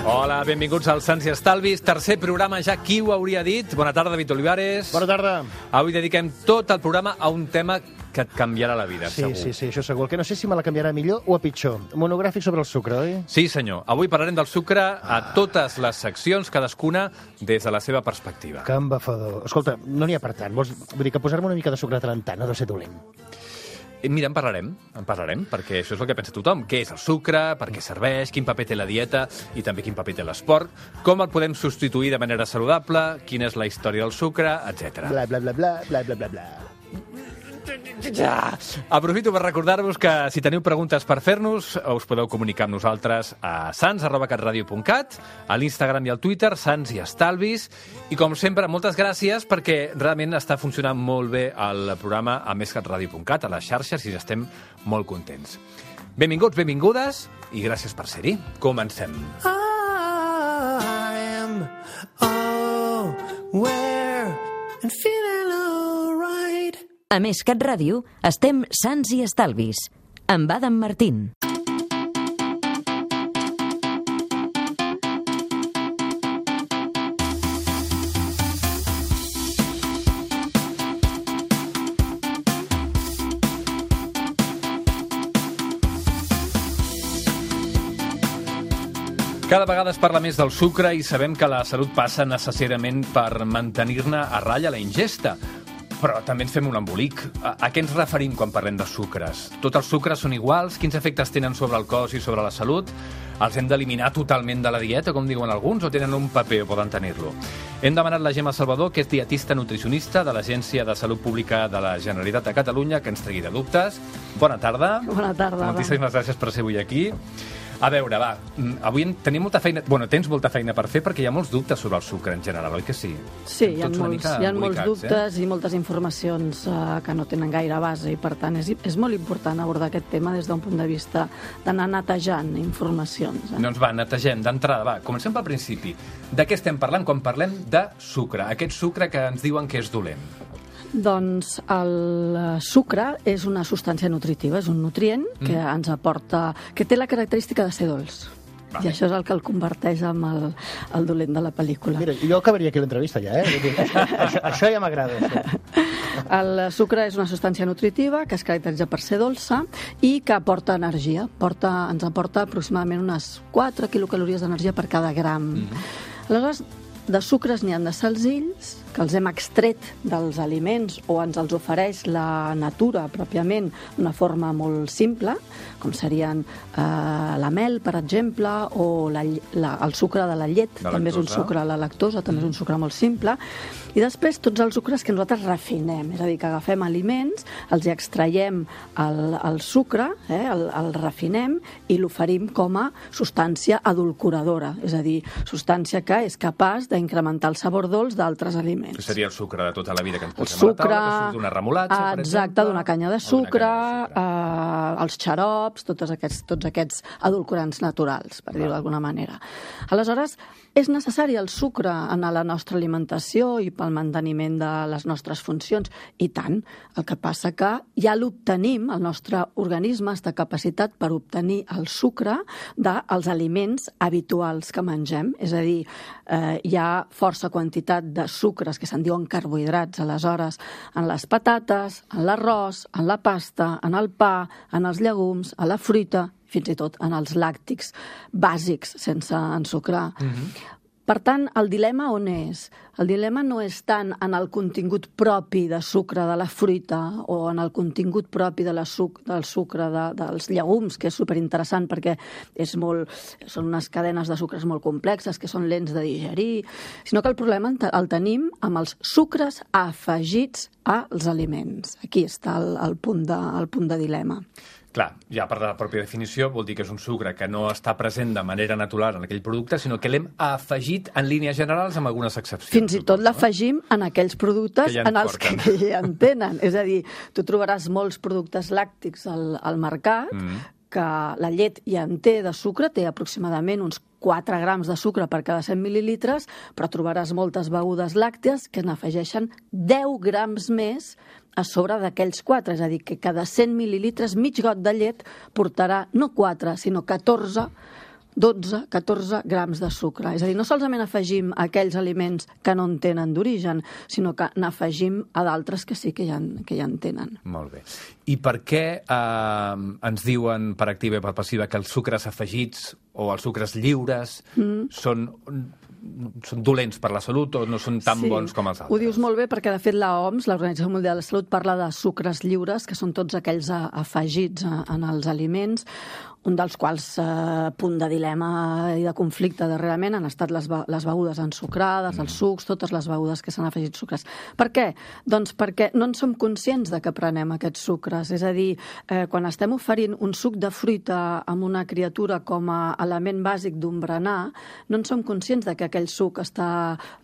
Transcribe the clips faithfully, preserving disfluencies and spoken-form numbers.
Hola, benvinguts al Sants i Estalvis, tercer programa ja, qui ho hauria dit? Bona tarda, David Olivares. Bona tarda. Avui dediquem tot el programa a un tema que et canviarà la vida, sí, segur. Sí, sí, això segur. El que no sé si me la canviarà millor o a pitjor. Monogràfic sobre el sucre, oi? Sí, senyor. Avui parlarem del sucre a totes les seccions, cadascuna des de la seva perspectiva. Que embafador. Escolta, no n'hi ha per tant. Vols, vull dir que posar-me una mica de sucre de tant en tant no deu ser dolent. Mira, en parlarem, en parlarem, perquè això és el que pensa tothom. Què és el sucre, per què serveix, quin paper té la dieta i també quin paper té l'esport, com el podem substituir de manera saludable, quina és la història del sucre, etcètera. Bla, bla, bla, bla, bla, bla, bla, bla. Ja. Aprofito per recordar-vos que si teniu preguntes per fer-nos, us podeu comunicar amb nosaltres a sans arroba catradio punt cat, a l'Instagram i al Twitter, Sants i Estalvis, i com sempre, moltes gràcies perquè realment està funcionant molt bé el programa a més catradio punt cat, a les xarxes, i estem molt contents. Benvinguts, benvingudes, i gràcies per ser-hi. Comencem. I am all where and feeling all right. A Més Cat Ràdio, estem Sants i Estalvis, amb Adam Martín. Cada vegada es parla més del sucre i sabem que la salut passa necessàriament per mantenir-ne a ratlla la ingesta. Però també ens fem un embolic. A, a què ens referim quan parlem de sucres? Tots els sucres són iguals? Quins efectes tenen sobre el cos i sobre la salut? Els hem d'eliminar totalment de la dieta, com diuen alguns, o tenen un paper o poden tenir-lo? Hem demanat la Gemma Salvador, que és dietista nutricionista de l'Agència de Salut Pública de la Generalitat de Catalunya, que ens tregui de dubtes. Bona tarda. Bona tarda. Moltíssimes gràcies per ser avui aquí. A veure, va, avui tenim molta feina... Bueno, tens molta feina per fer perquè hi ha molts dubtes sobre el sucre en general, oi que sí? Sí, hi ha molts, hi ha molts dubtes eh? i moltes informacions uh, que no tenen gaire base i, per tant, és, és molt important abordar aquest tema des d'un punt de vista d'anar netejant informacions. Eh? Doncs va, netegem d'entrada, va, comencem pel principi. De què estem parlant quan parlem de sucre? Aquest sucre que ens diuen que és dolent. Doncs el sucre és una substància nutritiva, és un nutrient que mm. ens aporta, que té la característica de ser dolç. Vale. I això és el que el converteix en el, el dolent de la pel·lícula. Mira, jo acabaria aquí l'entrevista ja, eh? això, això ja m'agrada. Això. El sucre és una substància nutritiva que es caracteritza per ser dolça i que aporta energia. Porta, ens aporta aproximadament unes quatre quilocalories d'energia per cada gram. Mm. Aleshores, de sucres n'hi ha de senzills, que els hem extret dels aliments o ens els ofereix la natura pròpiament d'una forma molt simple, com serien eh, la mel, per exemple, o la, la, el sucre de la llet, la també lactosa. És un sucre, la lactosa, també mm. és un sucre molt simple, i després tots els sucres que nosaltres refinem, és a dir, que agafem aliments, els hi extraiem el, el sucre, eh, el, el refinem i l'oferim com a substància adulcoradora, és a dir, substància que és capaç d'incrementar el sabor dolç d'altres aliments. Que seria el sucre de tota la vida que ens posem sucre, a la taula, que surt d'una remolatxa, per exemple. Exacte, d'una canya de sucre, canya de sucre. Eh, els xarops, tots aquests, tots aquests edulcorants naturals, per dir-ho d'alguna manera. Aleshores, és necessari el sucre en la nostra alimentació i pel manteniment de les nostres funcions? I tant. El que passa que ja l'obtenim, el nostre organisme està capacitat per obtenir el sucre dels aliments habituals que mengem. És a dir, eh, hi ha força quantitat de sucres que se'n diuen carbohidrats, aleshores, en les patates, en l'arròs, en la pasta, en el pa, en els llegums, a la fruita, fins i tot en els làctics bàsics, sense ensucrar. Mm-hmm. Per tant, el dilema on és? El dilema no és tant en el contingut propi de sucre de la fruita o en el contingut propi de la suc, del sucre de, dels llegums, que és superinteressant perquè és molt, són unes cadenes de sucres molt complexes que són lents de digerir, sinó que el problema el tenim amb els sucres afegits als aliments. Aquí està el, el, punt, de, el punt de dilema. Clar, ja per la pròpia definició vol dir que és un sucre que no està present de manera natural en aquell producte, sinó que l'hem afegit en línies generals amb algunes excepcions. Fins i tot l'afegim en aquells productes ja en els porten. Que ja en tenen. És a dir, tu trobaràs molts productes làctics al, al mercat mm. que la llet ja en té de sucre, té aproximadament uns quatre grams de sucre per cada cent mil·lilitres, però trobaràs moltes begudes làcties que n'afegeixen deu grams més a sobre d'aquells quatre. És a dir, que cada cent mil·lilitres, mig got de llet portarà no quatre, sinó catorze, dotze, catorze grams de sucre. És a dir, no solament afegim aquells aliments que no en tenen d'origen, sinó que n'afegim a d'altres que sí que ja, en, que ja en tenen. Molt bé. I per què eh, ens diuen per activa i per passiva que els sucres afegits o els sucres lliures mm. són, són dolents per la salut o no són tan sí, bons com els altres? Ho dius molt bé perquè, de fet, la O M S, l'Organització Mundial de la Salut, parla de sucres lliures, que són tots aquells afegits en els aliments, un dels quals eh, punt de dilema i de conflicte darrerament han estat les, les begudes ensucrades, mm. els sucs, totes les begudes que s'han afegit sucres. Per què? Doncs perquè no en som conscients de que prenem aquests sucres. És a dir, eh, quan estem oferint un suc de fruita amb una criatura com a element bàsic d'un berenar, no en som conscients de que aquell suc està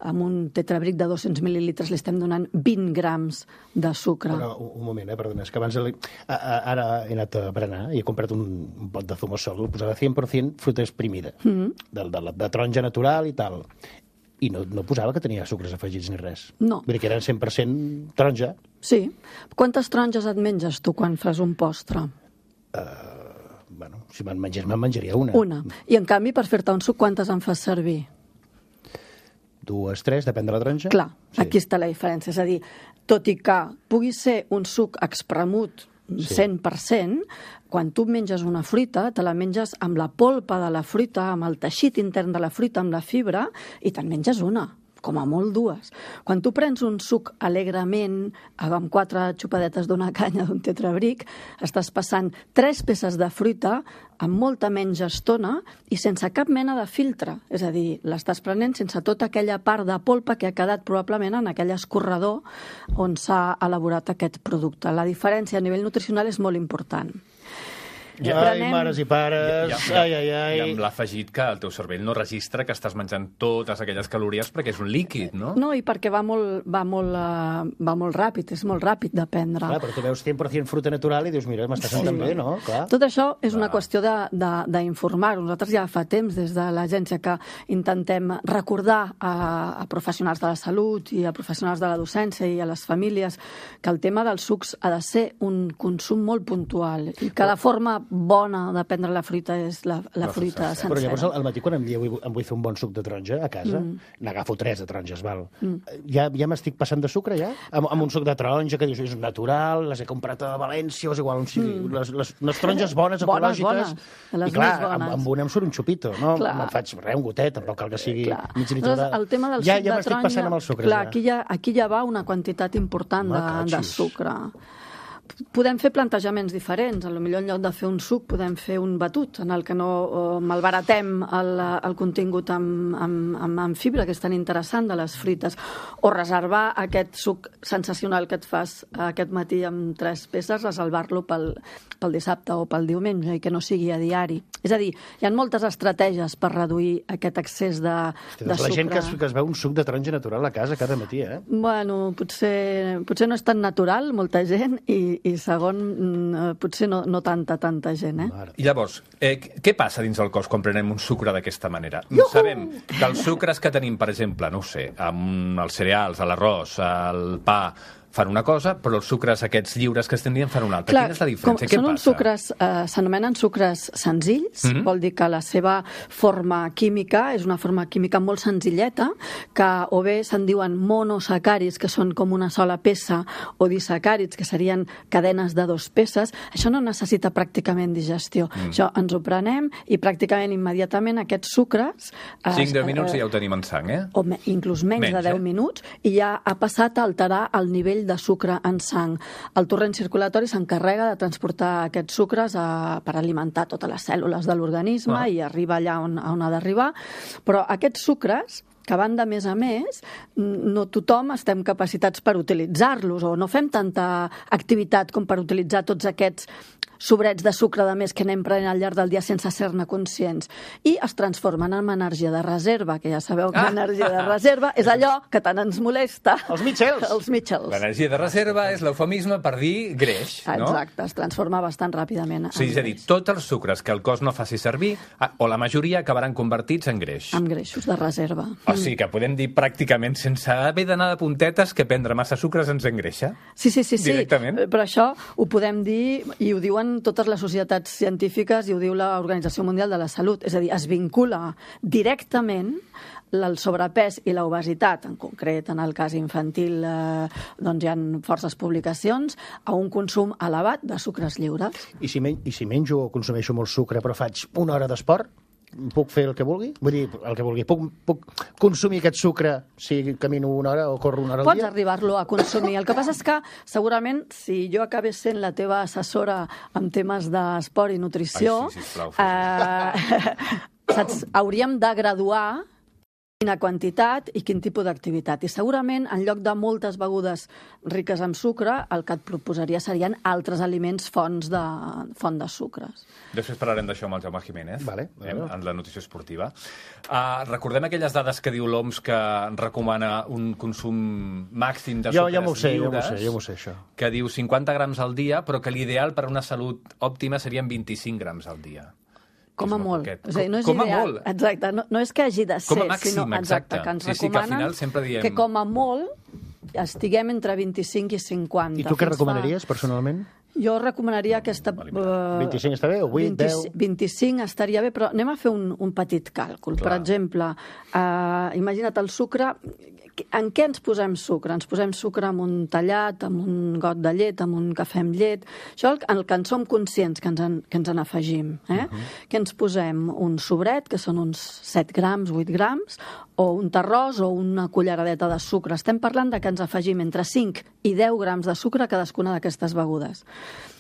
amb un tetrabric de dos-cents mil·lilitres, li estem donant vint grams de sucre. Però, un moment, eh, perdona, és que abans li... ara he anat a berenar i he comprat un, un pot de zumosol, el posava cent per cent fruita exprimida, mm-hmm. de, de, de taronja natural i tal. I no, no posava que tenia sucres afegits ni res. No. Vull dir que eren cent per cent taronja. Sí. Quantes taronges et menges tu quan fas un postre? Uh, bueno, si me'n mengés, me'n menjaria una. Una. I en canvi, per fer-te un suc, quantes en fas servir? Dues, tres, depèn de la taronja. Clar, sí. Aquí està la diferència. És a dir, tot i que pugui ser un suc espremut cent per cent, sí. Quan tu menges una fruita, te la menges amb la polpa de la fruita, amb el teixit intern de la fruita, amb la fibra, i te'n menges una, com a molt dues. Quan tu prens un suc alegrement, amb quatre xupadetes d'una canya d'un tetrabric, estàs passant tres peces de fruita amb molta menys estona i sense cap mena de filtre. És a dir, l'estàs prenent sense tota aquella part de polpa que ha quedat probablement en aquell escorredor on s'ha elaborat aquest producte. La diferència a nivell nutricional és molt important. Ai, prenem... mares i pares, I, i, ai, ai, ai. I amb l'afegit que el teu cervell no registra que estàs menjant totes aquelles calories perquè és un líquid, no? No, i perquè va molt, va molt, uh, va molt ràpid, és molt ràpid de prendre. Clar, però tu veus cent per cent fruita natural i dius, mira, m'està sí. sentant bé, no? Clar. Tot això és una qüestió d'informar. Nosaltres ja fa temps, des de l'agència, que intentem recordar a, a professionals de la salut i a professionals de la docència i a les famílies que el tema dels sucs ha de ser un consum molt puntual i que la forma bona de prendre la fruita és la, la, la fruita sencera. Però llavors al matí quan em, vull, em vull fer un bon suc de taronja a casa, mm. n'agafo tres de taronges, val? Mm. Ja, ja m'estic passant de sucre, ja? Amb, amb un suc de taronja que dius és natural, les he comprat a València, o és igual on sigui. Mm. Les, les, les taronges bones, bones ecològiques. Bones, les I clar, més bones. amb, amb una em surt un xupito, no? Clar. Me'n faig res, un gotet, tampoc cal que sigui clar. mig litre de... El tema del ja, suc ja de taronja... m'estic passant amb els sucres, clar, ja. aquí ja, aquí ja va una quantitat important de, de sucre. Podem fer plantejaments diferents. A lo millor en lloc de fer un suc podem fer un batut en el que no eh, malbaratem el, el contingut amb, amb, amb, amb fibra, que és tan interessant de les fruites, o reservar aquest suc sensacional que et fas aquest matí amb tres peces, reservar-lo pel, pel dissabte o pel diumenge i que no sigui a diari. És a dir, hi ha moltes estratègies per reduir aquest excés de, Hosti, de la sucre. La gent que es, que es veu un suc de taronja natural a casa cada matí, eh? Bueno, potser, potser no és tan natural, molta gent, i i segon, potser no, no tanta, tanta gent, eh? I llavors, eh, què passa dins el cos quan prenem un sucre d'aquesta manera? Iuhu! Sabem que els sucres que tenim, per exemple, no ho sé, amb els cereals, a l'arròs, al pa, fan una cosa, però els sucres aquests lliures que estem dient fan una altra. Clar, quina és la diferència? Què són passa? Uns sucres, eh, s'anomenen sucres senzills, mm-hmm. vol dir que la seva forma química és una forma química molt senzilleta, que o bé se'n diuen monosacàrids, que són com una sola peça, o disacàrids, que serien cadenes de dos peces. Això no necessita pràcticament digestió. Mm. Això ens ho prenem i pràcticament immediatament aquests sucres... cinc deu minuts i ja ho tenim en sang, eh? O me, inclús menys, menys de deu eh? minuts, i ja ha passat a alterar el nivell de sucre en sang. El torrent circulatori s'encarrega de transportar aquests sucres a, per alimentar totes les cèl·lules de l'organisme ah. i arriba allà on, on ha d'arribar. Però aquests sucres, que van de més a més, no tothom estem capacitats per utilitzar-los o no fem tanta activitat com per utilitzar tots aquests sobrets de sucre de més que anem prenent al llarg del dia sense ser-ne conscients, i es transformen en energia de reserva, que ja sabeu que l'energia de reserva és allò que tant ens molesta. Els mitjels. Els mitjels. L'energia de reserva és l'eufemisme per dir greix, no? Exacte, es transforma bastant ràpidament en Sí, és a dir, greix. tots els sucres que el cos no faci servir, o la majoria, acabaran convertits en greix. Amb greixos de reserva. O sigui que podem dir pràcticament, sense haver d'anar de puntetes, que prendre massa sucres ens engreixa. Sí, sí, sí, sí. Directament. Però això ho podem dir, i ho diuen totes les societats científiques, i ho diu l'Organització Mundial de la Salut. És a dir, es vincula directament el sobrepès i l'obesitat, en concret, en el cas infantil, eh, doncs hi ha forces publicacions, a un consum elevat de sucres lliures. I si, men I si menjo o consumeixo molt sucre però faig una hora d'esport, puc fer el que vulgui? Vull dir, el que vulgui. Puc, puc consumir aquest sucre si camino una hora o corro una hora al Pots dia? arribar-lo a consumir. El que passa és que, segurament, si jo acabés sent la teva assessora en temes d'esport i nutrició, Ai, sí, sisplau, eh, saps, hauríem de graduar quina quantitat i quin tipus d'activitat. I segurament, en lloc de moltes begudes riques en sucre, el que et proposaria serien altres aliments fonts de, font de sucres. Després parlarem d'això amb el Jaume Jiménez, Vale, eh, vale. en la nutrició esportiva. Uh, recordem aquelles dades que diu l'O M S que recomana un consum màxim de Jo, sucres jo m'ho sé, jo m'ho lliures, sé, jo m'ho sé, això. que diu cinquanta grams al dia, però que l'ideal per a una salut òptima serien vint-i-cinc grams al dia. Com És a molt molt. poquet. O sigui, no és Com a ideal. molt. Exacte. No, no és que hagi de ser, Com a màxim, sinó exacte. que ens Sí, sí, que al recomanen final sempre diem- que com a molt estiguem entre vint-i-cinc i cinquanta. I tu què Fins recomanaries, personalment? Fa... Jo recomanaria aquesta... Uh, vint-i-cinc està bé, o vuit, vint, deu? vint-i-cinc estaria bé, però anem a fer un, un petit càlcul. Clar. Per exemple, uh, imagina't el sucre... En què ens posem sucre? Ens posem sucre amb un tallat, amb un got de llet, amb un cafè amb llet... Això el, el que en som conscients que ens en, que ens en afegim. Eh? Uh -huh. Que ens posem un sobret, que són uns set grams, vuit grams, o un terròs o una culleradeta de sucre. Estem parlant de que ens afegim entre cinc i deu grams de sucre a cadascuna d'aquestes begudes.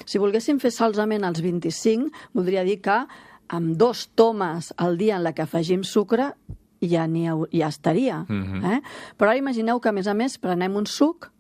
Si volguéssim fer solament els vint-i-cinc, voldria dir que amb dos tomes al dia en la que afegim sucre ja, n'hi ha, ja estaria. Mhm. eh? Però ara imagineu que, a més a més, prenem un suc,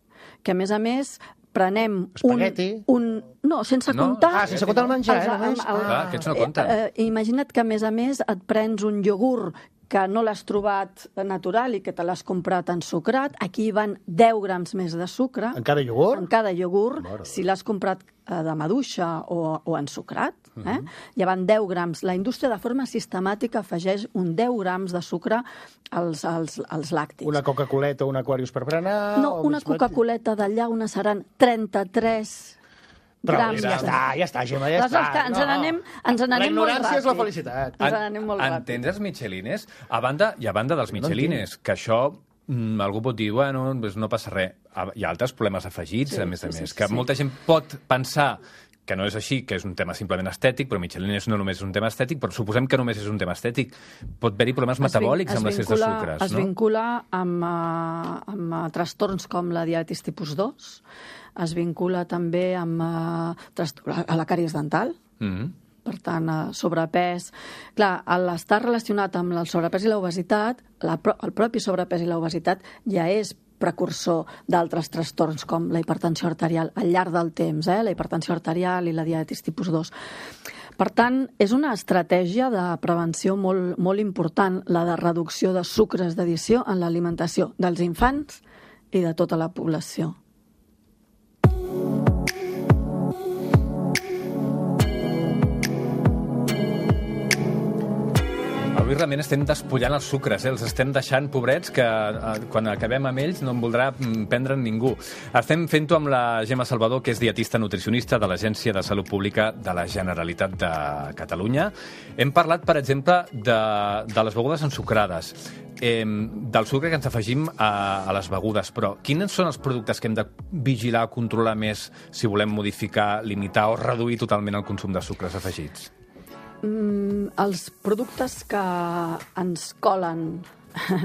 que, a més a més, prenem un, Espagueti. un... No, sense No, comptar... Ah, sense comptar el menjar, els- eh, només? el- el- Clar, aquests no compten. Eh, eh, imagina't que, a més a més, et prens un iogurt que no l'has trobat natural i que te l'has comprat ensucrat. Aquí hi van deu grams més de sucre. En cada iogurt? En cada iogurt, Mare de si l'has comprat eh, de maduixa o, o ensucrat. Eh? Hi van deu grams. La indústria, de forma sistemàtica, afegeix un deu grams de sucre als, als, als làctics. Una Coca-Coleta o un Aquarius per berenar? No, o una mig- Coca-Coleta de llauna seran trenta-tres Prou, grams. ja de- està, ja està, Gemma, ja Aleshores, està. que ens n'anem ens La n'anem molt ignorància és la ràpid. felicitat. Ens n'anem molt ràpid. Entens els michelines? A banda, I a banda dels michelines, que això mm, algú pot dir, bueno, doncs no passa res. Ah, hi ha altres problemes afegits, Sí, a més a sí, més, sí, que sí. molta gent pot pensar que no és així, que és un tema simplement estètic, però Michelines no només és un tema estètic, però suposem que només és un tema estètic. Pot haver-hi problemes metabòlics Es amb l'excés de vincula- sucres, Es no? vincula amb, uh, amb uh, trastorns com la diabetis tipus dos, es vincula també amb uh, trastor- a la càries dental, Mm. per tant, eh, sobrepès... Clar, al estar relacionat amb el sobrepès i l'obesitat, la, pro- el propi sobrepès i l'obesitat ja és precursor d'altres trastorns com la hipertensió arterial al llarg del temps, eh? La hipertensió arterial i la diabetis tipus dos. Per tant, és una estratègia de prevenció molt, molt important, la de reducció de sucres d'addició en l'alimentació dels infants i de tota la població. Avui realment estem despullant els sucres, eh? Els estem deixant pobrets que eh, quan acabem amb ells no en voldrà mm, prendre'n ningú. Estem fent-ho amb la Gemma Salvador, que és dietista nutricionista de l'Agència de Salut Pública de la Generalitat de Catalunya. Hem parlat, per exemple, de, de les begudes ensucrades, eh, del sucre que ens afegim a, a les begudes, però quins són els productes que hem de vigilar, controlar més si volem modificar, limitar o reduir totalment el consum de sucres afegits? Mm, els productes que ens colen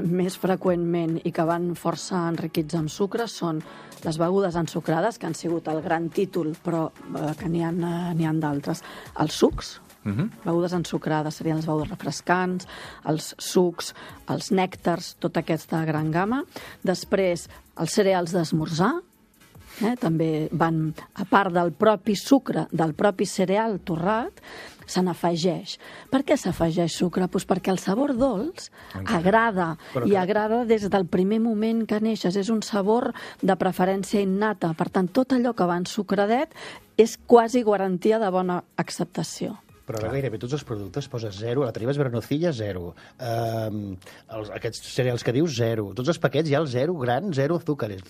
més freqüentment i que van força enriquits amb sucre són les begudes ensucrades, que han sigut el gran títol, però eh, que n'hi ha, eh, n'hi ha d'altres. Els sucs, Mhm. begudes ensucrades serien les begudes refrescants, els sucs, els nèctars, tota aquesta gran gamma. Després, els cereals d'esmorzar, eh? També van, a part del propi sucre, del propi cereal torrat, se n'afegeix. Per què s'afegeix sucre? Pues perquè el sabor dolç agrada, i agrada des del primer moment que neixes. És un sabor de preferència innata. Per tant, tot allò que va ensucradet és quasi garantia de bona acceptació. Però ara gairebé tots els productes poses zero, la Tribes Vernocilla, zero. Um, els, aquests cereals que dius, zero. Tots els paquets hi ha el zero gran, zero azúcares.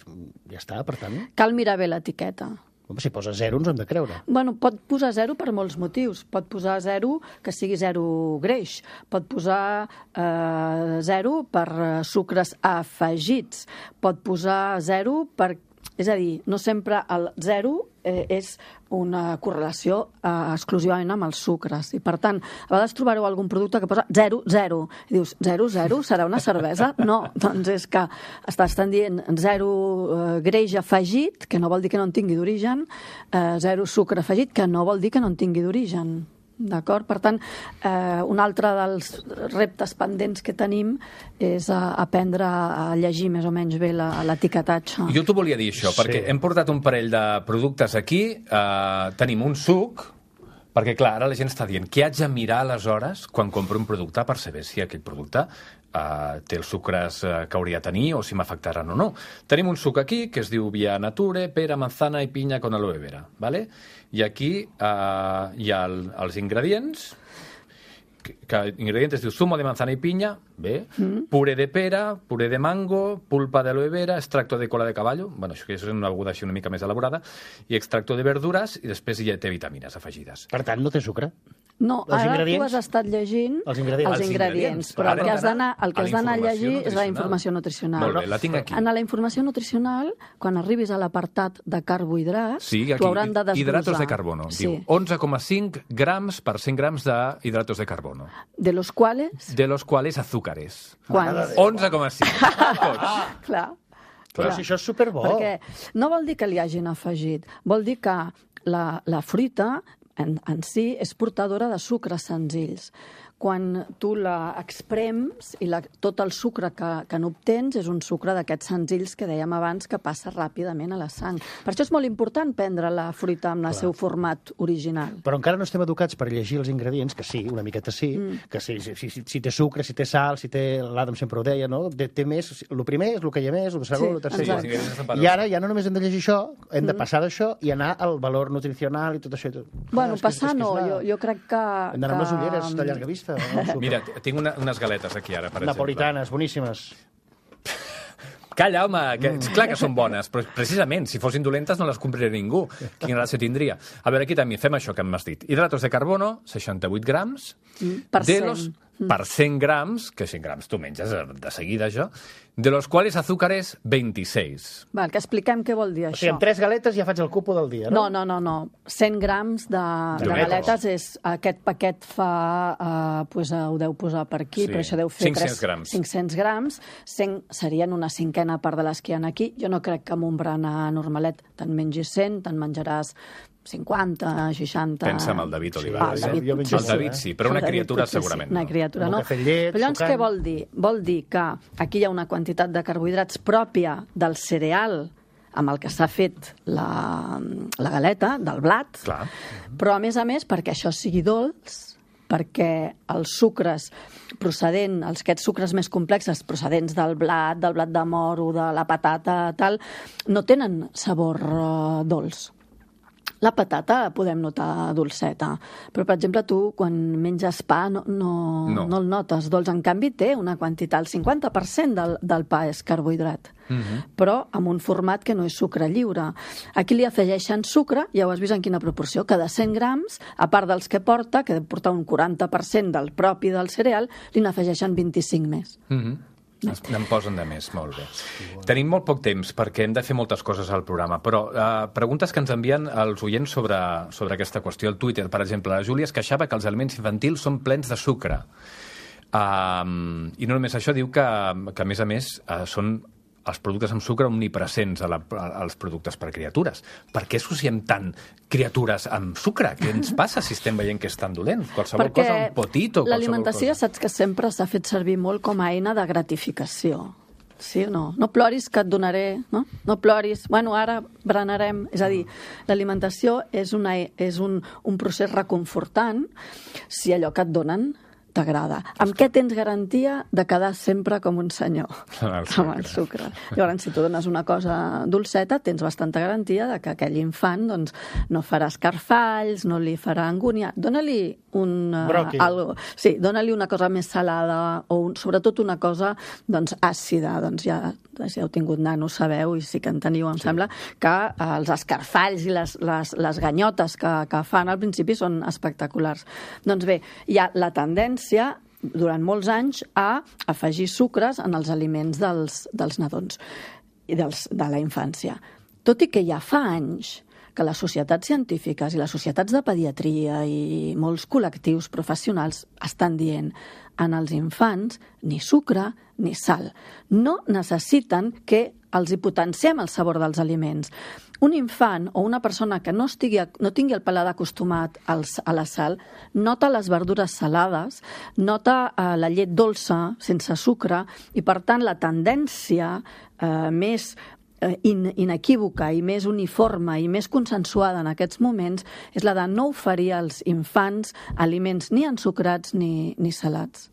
Ja està, per tant... Cal mirar bé l'etiqueta. Si posa zero, ens hem de creure. Bueno, pot posar zero per molts motius. Pot posar zero que sigui zero greix. Pot posar eh, zero per sucres afegits. Pot posar zero per... És a dir, no sempre el zero eh, és una correlació eh, exclusivament amb els sucres. I, per tant, a vegades trobareu algun producte que posa zero, zero. I dius, zero, zero? Serà una cervesa? No, doncs és que estan dient zero eh, greix afegit, que no vol dir que no en tingui d'origen, eh, zero sucre afegit, que no vol dir que no en tingui d'origen. D'acord? Per tant, eh, un altre dels reptes pendents que tenim és a aprendre a llegir més o menys bé l'etiquetatge. Jo t'ho volia dir, això, perquè hem portat un parell de productes aquí, eh, tenim un suc, perquè, clar, ara la gent està dient què haig de mirar aleshores quan compro un producte per saber si aquell producte eh, té els sucres eh, que hauria de tenir o si m'afectaran o no. Tenim un suc aquí que es diu Via Nature, pera, manzana i pinya con aloe vera, ¿vale? I aquí eh, hi ha el, els ingredients, que, que ingredientes diu zumo de manzana y piña, bé, mm. puré de pera, puré de mango, pulpa de aloe vera, extracto de cola de caballo, bueno, això és una beguda així una mica més elaborada, i extracto de verdures, i després hi té vitamines afegides. Per tant, no té sucre? No, ara tu has estat llegint els ingredients, els ingredients però el que has d'anar el que has d'anar a llegir és la informació nutricional. Molt bé, la tinc aquí. En la informació nutricional, quan arribis a l'apartat de carbohidrats, sí, t'ho hauran de desglossar. Hidratos de carbono. Sí. Diu onze coma cinc grams per cent grams de hidratos de carbono. De los cuales? De los cuales azúcares. Quants? onze coma cinc. Tots. Clar. Però si això és superbo. Perquè no vol dir que li hagin afegit, vol dir que la, la fruita en, en si és portadora de sucres senzills. Quan tu la exprems i la, tot el sucre que, que n'obtens és un sucre d'aquests senzills que dèiem abans que passa ràpidament a la sang. Per això és molt important prendre la fruita en el seu format original. Però encara no estem educats per llegir els ingredients, que sí, una miqueta sí, mm. que sí, si, si, si té sucre, si té sal, si té... L'Adam sempre ho deia, no? Té, té més... El primer és el que hi ha més, el segon, sí, el tercer... Exacte. I ara ja no només hem de llegir això, hem de passar d'això i anar al valor nutricional i tot això. I tot. Bueno, ah, passar no, la... jo, jo crec que... Hem d'anar amb les ulleres de llarga vista. No? Mira, tinc una, unes galetes aquí ara, per Napolitanes, exemple. boníssimes. Calla, home, que, és clar que són bones, però precisament, si fossin dolentes no les compraria ningú. Quina gràcia tindria. A veure, aquí també fem això que m'has dit. Hidratos de carbono, seixanta-vuit grams. Mm, per de cent. Los, per cent grams, que cent grams tu menges de seguida, això, de los cuales azúcares vint-i-sis. Val, que expliquem què vol dir O això. sigui, amb tres galetes ja faig el cupo del dia, no? No, no, no, no. cent grams de, de galetes és... Aquest paquet fa... Uh, pues, uh, ho deu posar per aquí, Sí. però això deu fer cinc-cents grams. cinc-cents grams. cent serien una cinquena part de les que hi ha aquí. Jo no crec que amb un berenar normalet te'n mengis cent, te'n menjaràs cinquanta, seixanta... Pensa en el David Sí, Olivares. Ah, el eh? David jo potser El David sí, però una El David criatura potser segurament sí. Una no. criatura Amb no. un cafè llet, Però llavors sucant. què vol dir? Vol dir que aquí hi ha una quantitat de carbohidrats pròpia del cereal amb el que s'ha fet la, la galeta, del blat, Clar. però a més a més, perquè això sigui dolç, perquè els sucres procedent, els aquests sucres més complexes procedents del blat, del blat de moro, de la patata, tal, no tenen sabor uh, dolç. La patata podem notar dolceta, però, per exemple, tu, quan menges pa, no, no, No. no el notes dolç. En canvi, té una quantitat, el cinquanta per cent del, del pa és carbohidrat, Mhm. però amb un format que no és sucre lliure. Aquí li afegeixen sucre, ja ho has vist en quina proporció, que de cent grams, a part dels que porta, que deu portar un quaranta per cent del propi del cereal, li n'afegeixen vint-i-cinc més. Mhm. Es- N'en posen de més, molt bé. Tenim molt poc temps perquè hem de fer moltes coses al programa, però eh, preguntes que ens envien els oients sobre, sobre aquesta qüestió. Al Twitter, per exemple, la Júlia es queixava que els aliments infantils són plens de sucre. Um, I no només això, diu que, que a més a més uh, són els productes amb sucre omnipresents a la, als productes per criatures. Per què associem tant criatures amb sucre? Què ens passa si estem veient que és tan dolent? Qualsevol Perquè cosa, un potito, qualsevol l'alimentació, cosa. saps que sempre s'ha fet servir molt com a eina de gratificació. Sí o no? No ploris que et donaré, no? No ploris. Bueno, ara berenarem. És a dir, l'alimentació és, una, és un, un procés reconfortant si allò que et donen t'agrada. Amb què tens garantia de quedar sempre com un senyor? Amb el sucre. Llavors, si tu dones una cosa dolceta, tens bastanta garantia de que aquell infant doncs, no farà escarfalls, no li farà angúnia. Dóna-li un, uh, algo, sí, dóna-li una cosa més salada o un, sobretot una cosa doncs, àcida. Doncs ja, si heu tingut nanos, sabeu, i sí que en teniu, em sí. sembla, que uh, els escarfalls i les, les, les ganyotes que, que fan al principi són espectaculars. Doncs bé, hi ha la tendència durant molts anys a afegir sucres en els aliments dels, dels nadons i dels, de la infància. Tot i que ja fa anys que les societats científiques i les societats de pediatria i molts col·lectius professionals estan dient en els infants ni sucre ni sal. No necessiten que els hi potenciem el sabor dels aliments. Un infant o una persona que no, estigui, no tingui el paladar acostumat als, a la sal nota les verdures salades, nota eh, la llet dolça sense sucre i, per tant, la tendència eh, més In, inequívoca i més uniforme i més consensuada en aquests moments és la de no oferir als infants aliments ni ensucrats ni, ni salats.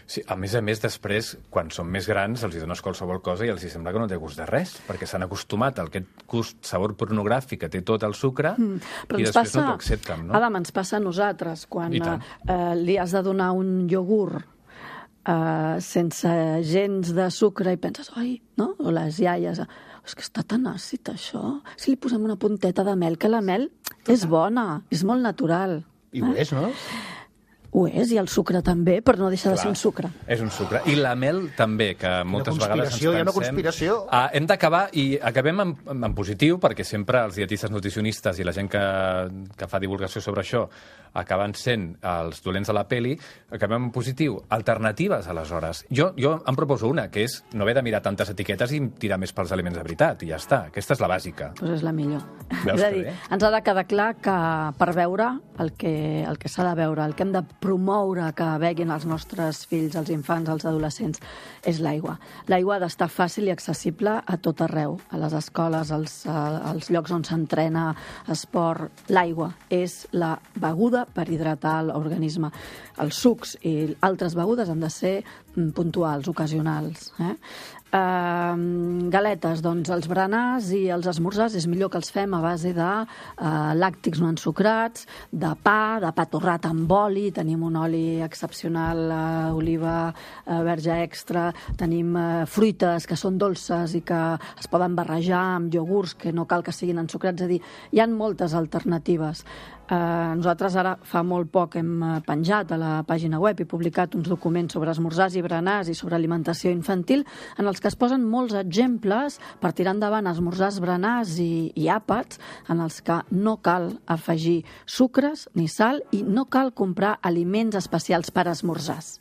Sí, a més a més, després, quan són més grans, els hi dones qualsevol cosa i els hi sembla que no té gust de res, perquè s'han acostumat al aquest gust, sabor pornogràfic que té tot el sucre mm, i després passa, no t'ho accepten, no? Adam, ens passa a nosaltres, quan eh, li has de donar un iogurt Uh, sense gens de sucre i penses, oi, no? O les iaies, és que està tan àcid això. Si li posem una punteta de mel, que la mel és bona, és molt natural. I ho és, no? Ho és, i el sucre també, però no deixa Clar, de ser un sucre. És un sucre. I la mel també, que moltes vegades ens pensem... Hi ha una conspiració. Uh, hem d'acabar, i acabem en, en positiu, perquè sempre els dietistes nutricionistes i la gent que, que fa divulgació sobre això acaben sent els dolents de la peli, acabem en positiu. Alternatives, aleshores. Jo, jo em proposo una, que és no haver de mirar tantes etiquetes i tirar més pels aliments de veritat, i ja està. Aquesta és la bàsica. Doncs pues és la millor. Veus és a dir, ens ha de quedar clar que per veure el que, el que s'ha de veure, el que hem de promoure que beguin els nostres fills, els infants, els adolescents, és l'aigua. L'aigua ha d'estar fàcil i accessible a tot arreu, a les escoles, als, als llocs on s'entrena esport. L'aigua és la beguda per hidratar l'organisme. Els sucs i altres begudes han de ser puntuals, ocasionals. Eh? Uh, galetes, doncs els berenars i els esmorzars és millor que els fem a base de uh, làctics no ensucrats, de pa, de pa torrat amb oli, tenim un oli excepcional, uh, oliva uh, verge extra, tenim uh, fruites que són dolces i que es poden barrejar amb iogurts que no cal que siguin ensucrats, és a dir, hi ha moltes alternatives. Uh, nosaltres ara fa molt poc hem penjat a la pàgina web i publicat uns documents sobre esmorzars i berenars i sobre alimentació infantil en els que es posen molts exemples per tirar endavant esmorzars, berenars i, i àpats en els que no cal afegir sucres ni sal i no cal comprar aliments especials per esmorzars,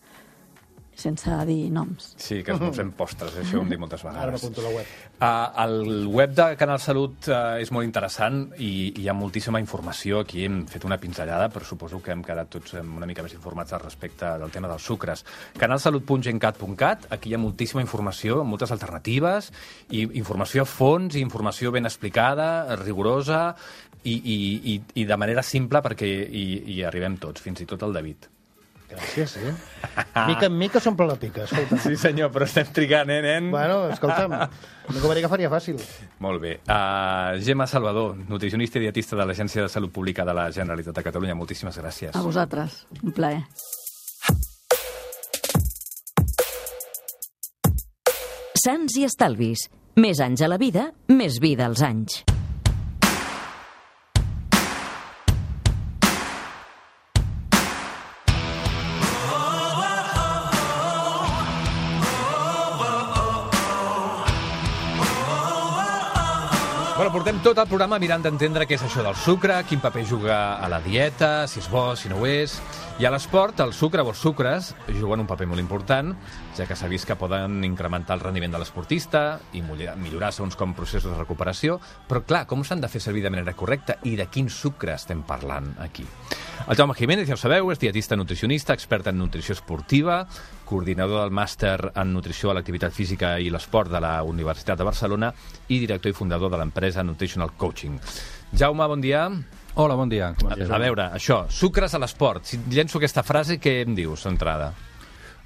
sense dir noms. Sí, que esmorzem postres, això ho hem dit moltes vegades. Ara m'apunto la web. Uh, el web de Canal Salut uh, és molt interessant i hi ha moltíssima informació. Aquí hem fet una pinzellada, però suposo que hem quedat tots una mica més informats al respecte del tema dels sucres. canalsalut punt gencat punt cat, aquí hi ha moltíssima informació, moltes alternatives, i informació a fons, i informació ben explicada, rigorosa, i, i, i, i de manera simple perquè hi, hi arribem tots, fins i tot el David. Gràcies, eh? Mica en mica s'omple la pica, escolta. Sí, senyor, però estem trigant, eh, nen? Bueno, escolta'm, no que que faria fàcil. Molt bé. Uh, Gemma Salvador, nutricionista i dietista de l'Agència de Salut Pública de la Generalitat de Catalunya. Moltíssimes gràcies. A vosaltres. Un plaer. Sants i estalvis. Més anys a la vida, més vida als anys. Bueno, portem tot el programa mirant d'entendre què és això del sucre, quin paper juga a la dieta, si és bo, si no ho és. I a l'esport, el sucre o els sucres juguen un paper molt important, ja que s'ha vist que poden incrementar el rendiment de l'esportista i millorar segons com processos de recuperació. Però, clar, com s'han de fer servir de manera correcta i de quin sucre estem parlant aquí? El Jaume Jiménez, ja ho sabeu, és dietista nutricionista, expert en nutrició esportiva, coordinador del màster en nutrició a l'activitat física i l'esport de la Universitat de Barcelona i director i fundador de l'empresa Nutritional Coaching. Jaume, bon dia. Hola, bon dia. A, a veure, això, sucres a l'esport. Si llenço aquesta frase, què em dius, d'entrada?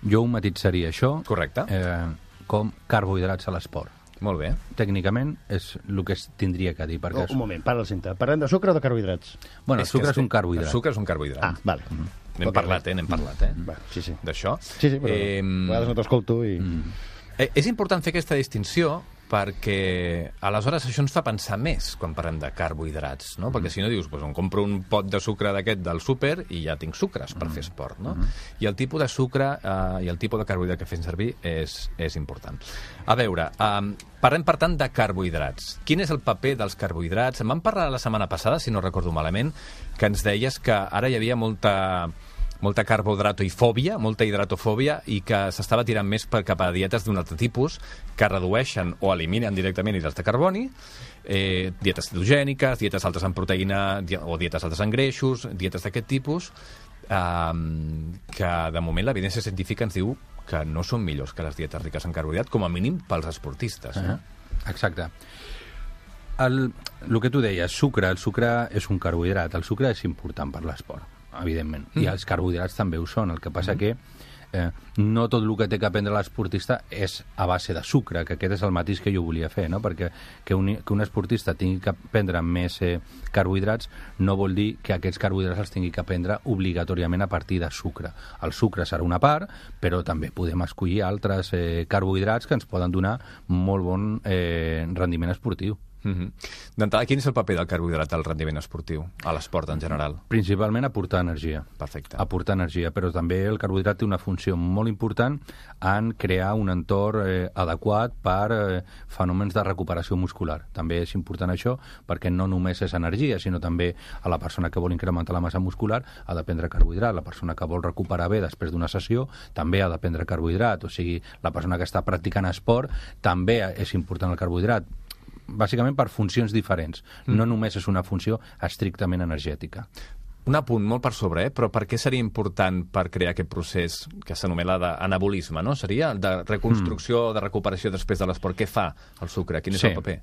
Jo ho matitzaria, això, Correcte. Eh, com carbohidrats a l'esport. Molt bé. Tècnicament és el que es tindria que dir. Perquè Oh, un moment, para el cinta. Parlem de sucre o de carbohidrats? Bueno, el És que sucre és este- un carbohidrat. El sucre és un carbohidrat. Ah, vale. N'hem Ok, parlat, vale. eh? N'hem parlat, eh? Va, sí, sí. D'això. Sí, sí, però Eh, a vegades no t'escolto i... Eh, és important fer aquesta distinció perquè aleshores això ens fa pensar més quan parlem de carbohidrats, no? Perquè si no dius, doncs em compro un pot de sucre d'aquest del súper i ja tinc sucres per fer esport, no? I el tipus de sucre eh, i el tipus de carbohidrat que fem servir és, és important. A veure, eh, parlem per tant de carbohidrats. Quin és el paper dels carbohidrats? Em vam parlar la setmana passada, si no recordo malament, que ens deies que ara hi havia molta... molta carbohidratofòbia, molta hidratofòbia, i que s'estava tirant més per cap a dietes d'un altre tipus, que redueixen o eliminen directament hidrats de carboni, eh, dietes cetogèniques, dietes altes en proteïna di- o dietes altes en greixos, dietes d'aquest tipus, eh, que de moment l'evidència científica ens diu que no són millors que les dietes riques en carbohidrat, com a mínim pels esportistes. Uh No? -huh. Exacte. El, el que tu deies, sucre, el sucre és un carbohidrat. El sucre és important per l'esport, evidentment. Mm. I els carbohidrats també ho són. El que passa mm. que eh, no tot el que té que aprendre l'esportista és a base de sucre, que aquest és el matís que jo volia fer, no? Perquè que un, que un esportista tingui que prendre més eh, carbohidrats no vol dir que aquests carbohidrats els tingui que prendre obligatòriament a partir de sucre. El sucre serà una part, però també podem escollir altres eh, carbohidrats que ens poden donar molt bon eh, rendiment esportiu. Mm-hmm. D'entrada, quin és el paper del carbohidrat al rendiment esportiu, a l'esport en general? Principalment aportar energia. Perfecte. Aportar energia, però també el carbohidrat té una funció molt important en crear un entorn eh, adequat per eh, fenòmens de recuperació muscular. També és important això perquè no només és energia, sinó també a la persona que vol incrementar la massa muscular ha de prendre carbohidrat, la persona que vol recuperar bé després d'una sessió també ha de prendre carbohidrat, o sigui, la persona que està practicant esport també és important el carbohidrat, bàsicament per funcions diferents. Mm. No només és una funció estrictament energètica. Un apunt molt per sobre, eh? Però per què seria important per crear aquest procés que s'anomena d'anabolisme, no? Seria de reconstrucció, mm. de recuperació després de l'esport. Què fa el sucre? Quin és sí. el paper?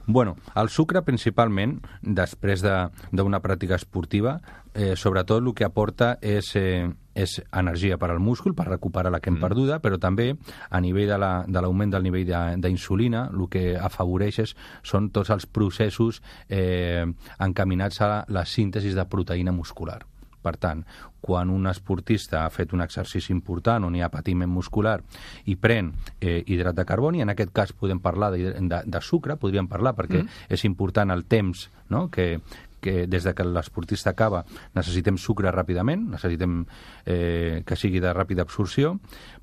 Bueno, el sucre principalment, després d'una pràctica esportiva, eh, sobretot el que aporta és... Eh, és energia per al múscul, per recuperar la que hem mm. perduda, però també a nivell de l'augment la, de del nivell d'insulina, el que afavoreix és, són tots els processos eh, encaminats a la síntesi de proteïna muscular. Per tant, quan un esportista ha fet un exercici important on hi ha patiment muscular i pren eh, hidrat de carboni, en aquest cas podem parlar de, de, de sucre, podríem parlar, perquè mm. és important el temps, no?, que, que des de que l'esportista acaba necessitem sucre ràpidament, necessitem eh, que sigui de ràpida absorció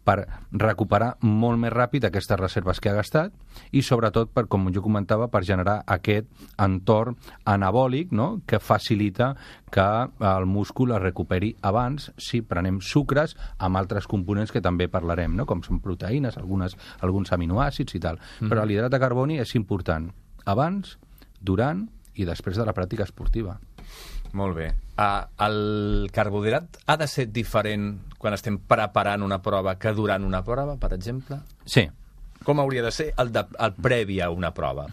per recuperar molt més ràpid aquestes reserves que ha gastat i sobretot, per, com jo comentava, per generar aquest entorn anabòlic, no?, que facilita que el múscul es recuperi abans si prenem sucres amb altres components que també parlarem, no?, com són proteïnes, algunes, alguns aminoàcids i tal. Mm. Però l'hidrat de carboni és important abans, durant i després de la pràctica esportiva. Molt bé. Uh, el carbohidrat ha de ser diferent quan estem preparant una prova que durant una prova, per exemple? Sí. Com hauria de ser el, de, el previ a una prova?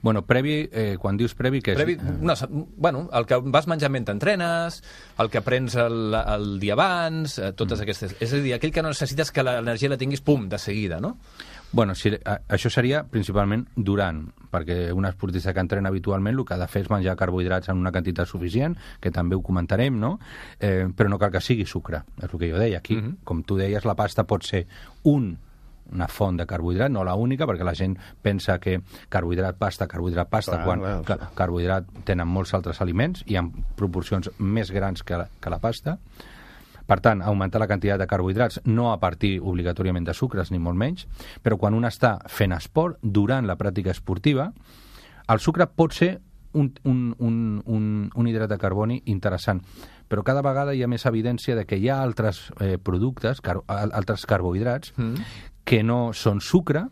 Bueno, previ, eh, quan dius previ, que és... Previ, no, bueno, el que vas menjar mentre entrenes, el que prens el, el dia abans, eh, totes mm. aquestes... És a dir, aquell que no necessites que l'energia la tinguis, pum, de seguida, no? Bueno, si, a, això seria principalment durant, perquè un esportista que entrena habitualment el que ha de fer és menjar carbohidrats en una quantitat suficient, que també ho comentarem, no? Eh, però no cal que sigui sucre, és el que jo deia. Aquí, mm-hmm. com tu deies, la pasta pot ser un una font de carbohidrat, no la única, perquè la gent pensa que carbohidrat, pasta, carbohidrat, pasta, clar, quan clar, ca carbohidrat tenen molts altres aliments i en proporcions més grans que la, que la pasta. Per tant, augmentar la quantitat de carbohidrats, no a partir obligatòriament de sucres, ni molt menys, però quan un està fent esport, durant la pràctica esportiva, el sucre pot ser un, un, un, un, un hidrat de carboni interessant, però cada vegada hi ha més evidència de que hi ha altres eh, productes, car altres carbohidrats, mm. que no són sucre,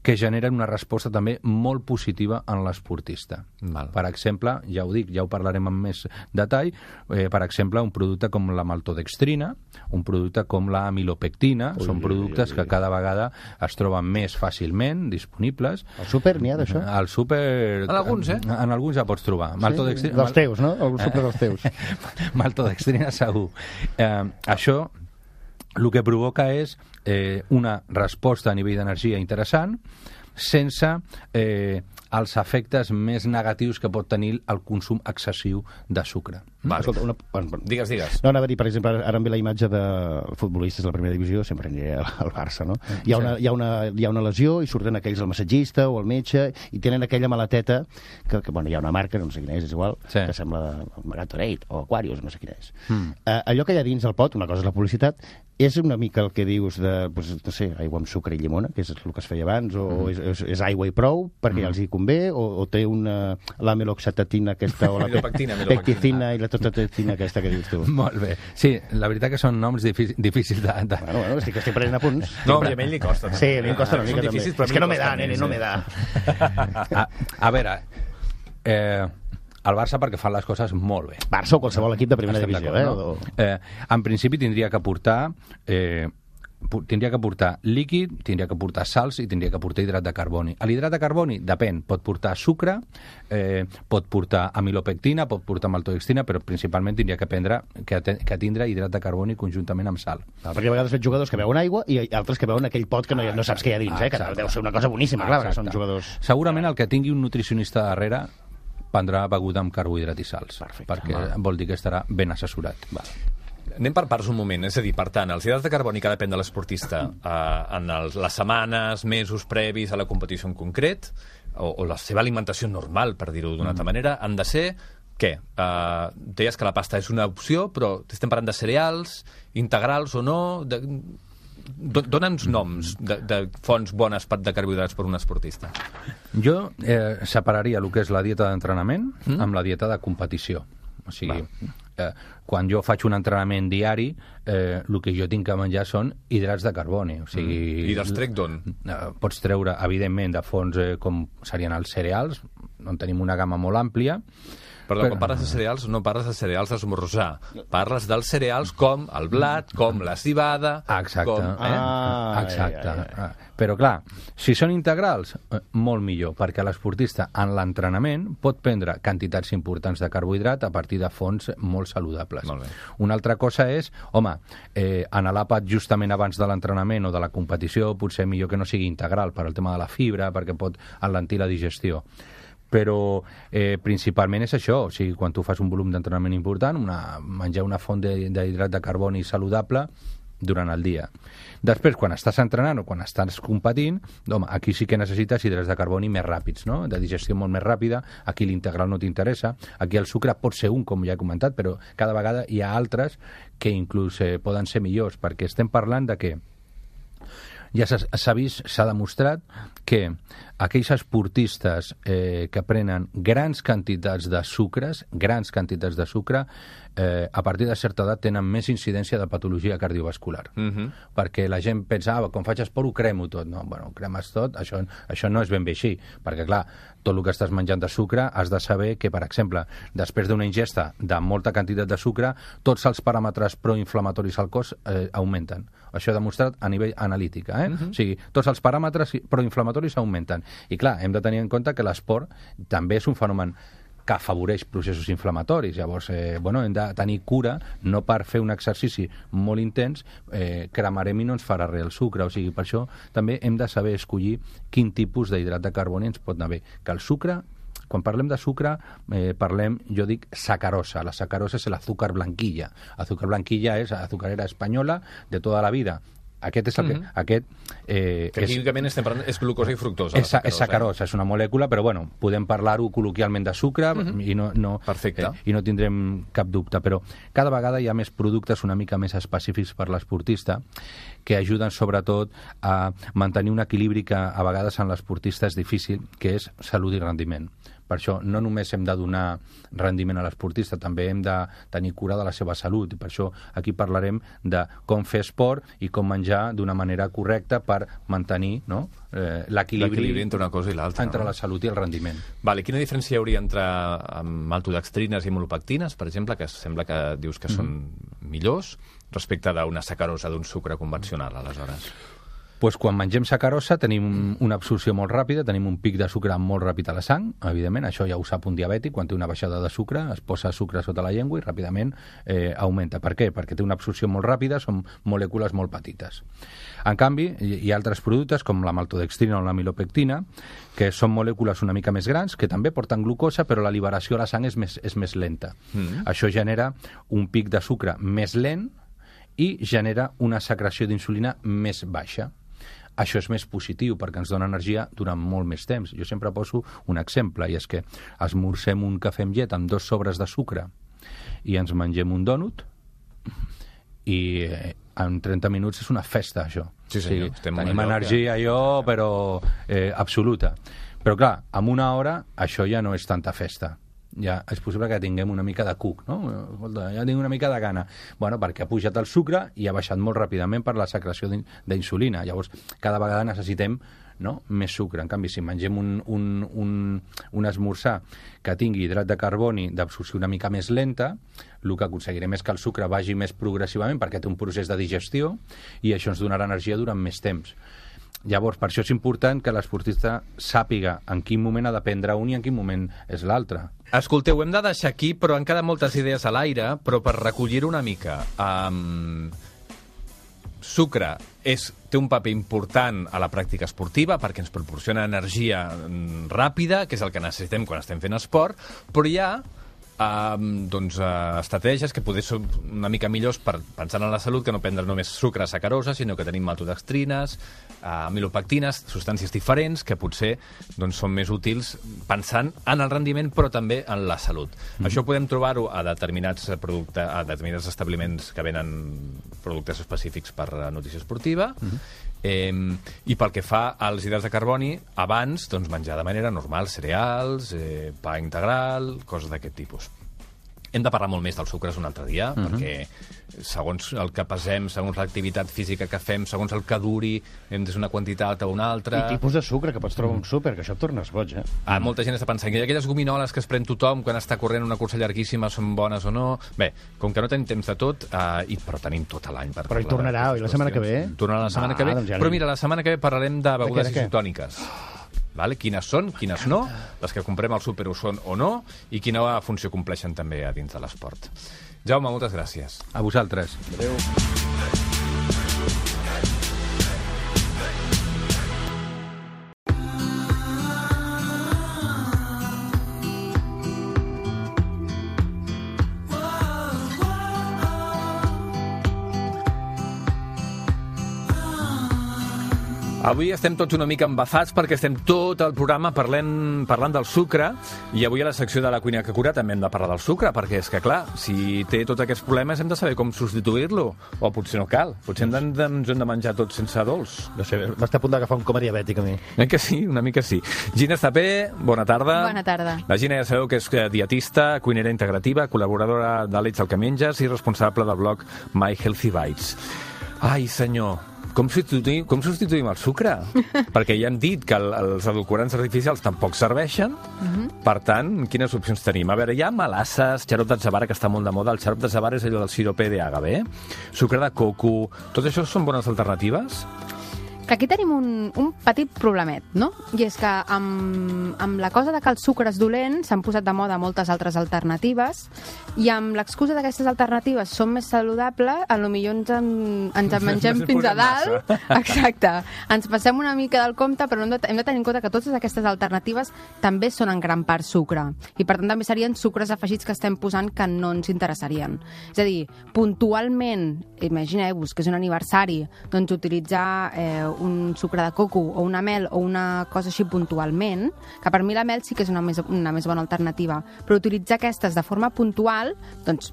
que generen una resposta també molt positiva en l'esportista. Val. Per exemple, ja ho dic, ja ho parlarem amb més detall, eh, per exemple, un producte com la maltodextrina, un producte com la amilopectina, ui, són productes ui, ui, ui. que cada vegada es troben més fàcilment disponibles. Al súper n'hi ha d'això? Al súper... En alguns, eh? En, en alguns ja pots trobar. Sí, maltodextrina, dels teus, no? El súper dels teus. Maltodextrina segur. Eh, això el que provoca és eh, una resposta a nivell d'energia interessant sense eh, els efectes més negatius que pot tenir el consum excessiu de sucre. Vale. Escolta, una... bueno, digues, digues. No, anava a dir, per exemple, ara em ve la imatge de futbolistes de la primera divisió, sempre aniré al Barça, no? Hi ha, una, hi, ha una, hi ha una lesió i surten aquells el massatgista o el metge i tenen aquella maleteta que, que bueno, hi ha una marca, no sé quina és, és igual, sí. que sembla Gatorade o Aquarius, no sé quina és. Mm. Uh, allò que hi ha dins el pot, una cosa és la publicitat, és una mica el que dius de, pues, no sé, aigua amb sucre i llimona, que és el que es feia abans, o mm. és, és, és aigua i prou, perquè mm. ja els hi convé, o, o té una, la meloxatatina aquesta, o la pecticina i la totatetina aquesta que dius tu. Molt bé. Sí, la veritat que són noms difícils, difícils de... de... Bueno, bueno, estic, estic prenent apunts. No, a ell li costa. Sí, a mi em costa una mica també. És que no me da, nene, no me da. A, a veure... Eh... El Barça perquè fan les coses molt bé. Barça o qualsevol equip de primera Estem divisió, eh? No? eh? En principi tindria que portar... Eh, tindria que portar líquid, tindria que portar salts i tindria que portar hidrat de carboni. L'hidrat de carboni, depèn, pot portar sucre, eh, pot portar amilopectina, pot portar maltodextrina, però principalment tindria que prendre, que, que tindre hidrat de carboni conjuntament amb sal. Ah, perquè a vegades veig jugadors que beuen aigua i altres que beuen aquell pot que no, no saps què hi ha dins, eh? Que deu ser una cosa boníssima, clar, que són jugadors... Segurament el que tingui un nutricionista darrere prendrà beguda amb carbohidrat i sals. Perfecte. Perquè Val. vol dir que estarà ben assessorat. Val. Anem per parts un moment, és a dir, per tant, els hidrats de carboni que depèn de l'esportista eh, en els, les setmanes, mesos previs a la competició en concret, o, o la seva alimentació normal, per dir-ho d'una altra mm. manera, han de ser, què? Uh, deies que la pasta és una opció, però estem parlant de cereals, integrals o no... De... Dóna'ns noms de, de fonts bones de carbohidrats per un esportista. Jo eh, separaria el que és la dieta d'entrenament mm? amb la dieta de competició. O sigui, eh, quan jo faig un entrenament diari, eh, el que jo tinc que menjar són hidrats de carboni. O sigui, mm. I dels trec d'on? Eh, pots treure, evidentment, de fonts eh, com serien els cereals, on tenim una gamma molt àmplia. Perdó, quan parles de cereals, no parles de cereals d'esmorzar. Parles dels cereals com el blat, com la cibada... Exacte. Com, eh? Ah, Exacte. ai, ai, ai. Però, clar, si són integrals, eh, molt millor, perquè l'esportista en l'entrenament pot prendre quantitats importants de carbohidrat a partir de fonts molt saludables. Molt bé. Una altra cosa és, home, eh, en l'àpat justament abans de l'entrenament o de la competició, potser millor que no sigui integral per al tema de la fibra, perquè pot alentir la digestió. Però eh, principalment és això, o sigui, quan tu fas un volum d'entrenament important, una, menjar una font d'hidrat de carboni saludable durant el dia. Després, quan estàs entrenant o quan estàs competint, home, aquí sí que necessites hidrats de carboni més ràpids, no? De digestió molt més ràpida, aquí l'integral no t'interessa, aquí el sucre pot ser un, com ja he comentat, però cada vegada hi ha altres que inclús eh, poden ser millors, perquè estem parlant de què? Ja s'ha vist, s'ha demostrat que aquells esportistes eh, que prenen grans quantitats de sucres, grans quantitats de sucre, eh, a partir de certa edat tenen més incidència de patologia cardiovascular. Mm-hmm. Perquè la gent pensa, ah, quan faig esport ho cremo tot. No, bueno, cremes tot, això, això no és ben bé així, perquè clar, tot el que estàs menjant de sucre has de saber que, per exemple, després d'una ingesta de molta quantitat de sucre, tots els paràmetres proinflamatoris al cos eh, augmenten. Això demostrat a nivell analític, eh? Mm-hmm. O sigui, tots els paràmetres proinflamatoris augmenten. I clar, hem de tenir en compte que l'esport també és un fenomen que afavoreix processos inflamatoris. Llavors, eh, bueno, hem de tenir cura, no per fer un exercici molt intens, eh, cremarem i no ens farà res el sucre. O sigui, per això també hem de saber escollir quin tipus d'hidrat de carboni ens pot anar bé. Que el sucre, quan parlem de sucre, eh, parlem, jo dic, sacarosa. La sacarosa és l'azúcar blanquilla. Azúcar blanquilla és azucarera espanyola de tota la vida. Aquest és el que... Mm-hmm. Aquest, eh, que químicament estem parlant, és glucosa i fructosa. És, és sacarosa, eh? És una molècula, però bueno, podem parlar-ho col·loquialment de sucre mm-hmm. i, no, no, Perfecte. Eh, i no tindrem cap dubte. Però cada vegada hi ha més productes una mica més específics per l'esportista que ajuden sobretot a mantenir un equilibri que a vegades en l'esportista és difícil, que és salut i rendiment. Per això no només hem de donar rendiment a l'esportista, també hem de tenir cura de la seva salut. I per això aquí parlarem de com fer esport i com menjar d'una manera correcta per mantenir, no?, eh, l'equilibri entre una cosa i l'altra. Entre no? la salut i el rendiment. Vale, quina diferència hi hauria entre maltodextrines i molopectines, per exemple, que sembla que dius que mm. són millors, respecte d'una sacarosa d'un sucre convencional, aleshores? Pues quan mengem sacarosa tenim una absorció molt ràpida, tenim un pic de sucre molt ràpid a la sang, evidentment, això ja ho sap un diabètic, quan té una baixada de sucre es posa sucre sota la llengua i ràpidament eh, augmenta. Per què? Perquè té una absorció molt ràpida, són molècules molt petites. En canvi, hi ha altres productes com la maltodextrina o la milopectina, que són molècules una mica més grans, que també porten glucosa, però la liberació a la sang és més, és més lenta. Mm. Això genera un pic de sucre més lent i genera una secreció d'insulina més baixa. Això és més positiu perquè ens dona energia durant molt més temps. Jo sempre poso un exemple, i és que esmorzem un cafè amb llet amb dos sobres de sucre i ens mengem un dònut i en trenta minuts és una festa, això. Sí, senyor. Sí, tenim energia, que... allò, però eh, absoluta. Però clar, en una hora això ja no és tanta festa. Ja és possible que tinguem una mica de cuc, no? Escolta, ja tinc una mica de gana. Bueno, perquè ha pujat el sucre i ha baixat molt ràpidament per la secreció d'insulina. Llavors, cada vegada necessitem, no?, més sucre. En canvi, si mengem un, un, un, un esmorzar que tingui hidrat de carboni d'absorció una mica més lenta, el que aconseguirem és que el sucre vagi més progressivament perquè té un procés de digestió i això ens donarà energia durant més temps. Llavors, per això és important que l'esportista sàpiga en quin moment ha de prendre un i en quin moment és l'altre. Escolteu, hem de deixar aquí, però han quedat moltes idees a l'aire, però per recollir-ho una mica. Um, sucre és, té un paper important a la pràctica esportiva perquè ens proporciona energia ràpida, que és el que necessitem quan estem fent esport, però hi ha Uh, doncs, uh, estratègies que poder ser una mica millors per pensar en la salut, que no prendre només sucre sacarosa, sinó que tenim maltodextrines, uh, milopectines, substàncies diferents que potser doncs, són més útils pensant en el rendiment però també en la salut. Mm-hmm. Això podem trobar-ho a determinats productes, a determinats establiments que venen productes específics per a nutrició esportiva. Mm-hmm. Eh, i pel que fa als hidrats de carboni, abans doncs, menjar de manera normal cereals, eh, pa integral, coses d'aquest tipus. Hem de parlar molt més dels sucres un altre dia, uh-huh. perquè segons el que pesem, segons l'activitat física que fem, segons el que duri, hem de ser una quantitat o una altra. I tipus de sucre que pots trobar un súper, que això et tornes boig, eh? Ah, molta gent està pensant que aquelles gominoles que es pren tothom quan està corrent una cursa llarguíssima són bones o no. Bé, com que no tenim temps de tot, uh, i, però tenim tot l'any per Però hi tornarà, oi, la setmana que ve? Tornarà la setmana ah, que ve. Doncs ja però mira, la setmana que ve parlarem de begudes isotòniques. Vale? Quines són, quines no, les que comprem al súper ho són o no, i quina funció compleixen també a dins de l'esport. Jaume, moltes gràcies. A vosaltres. Adéu. Avui estem tots una mica embafats perquè estem tot el programa parlant, parlant del sucre, i avui a la secció de la cuina que cura també hem de parlar del sucre, perquè és que, clar, si té tots aquests problemes hem de saber com substituir-lo, o potser no cal, potser hem de, ens hem de menjar tot sense dolç. No sé, m'està a punt d'agafar un coma diabètic a mi. Eh que sí, una mica sí. Gina Estapé, bona tarda. Bona tarda. La Gina ja sabeu que és dietista, cuinera integrativa, col·laboradora d'Àlex el que menges i responsable del blog My Healthy Bites. Ai, senyor, Com substituïm, com substituïm el sucre? Perquè ja hem dit que el, els edulcorants artificials tampoc serveixen. Uh-huh. Per tant, quines opcions tenim? A veure, hi ha melasses, xarop d'atzavara, que està molt de moda. El xarop d'atzavara és allò del sirope d'agave, sucre de coco. Tot això són bones alternatives? Aquí tenim un, un petit problemet, no? I és que amb, amb la cosa de que el sucre és dolent s'han posat de moda moltes altres alternatives, i amb l'excusa d'aquestes alternatives són més saludables, a lo millor ens en, ens en mengem fins a dalt. Exacte. Ens passem una mica del compte, però hem de, hem de tenir en compte que totes aquestes alternatives també són en gran part sucre. I per tant també serien sucres afegits que estem posant que no ens interessarien. És a dir, puntualment, imagineu-vos que és un aniversari, doncs utilitzar eh, un sucre de coco o una mel o una cosa així puntualment, que per mi la mel sí que és una més, una més bona alternativa, però utilitzar aquestes de forma puntual, doncs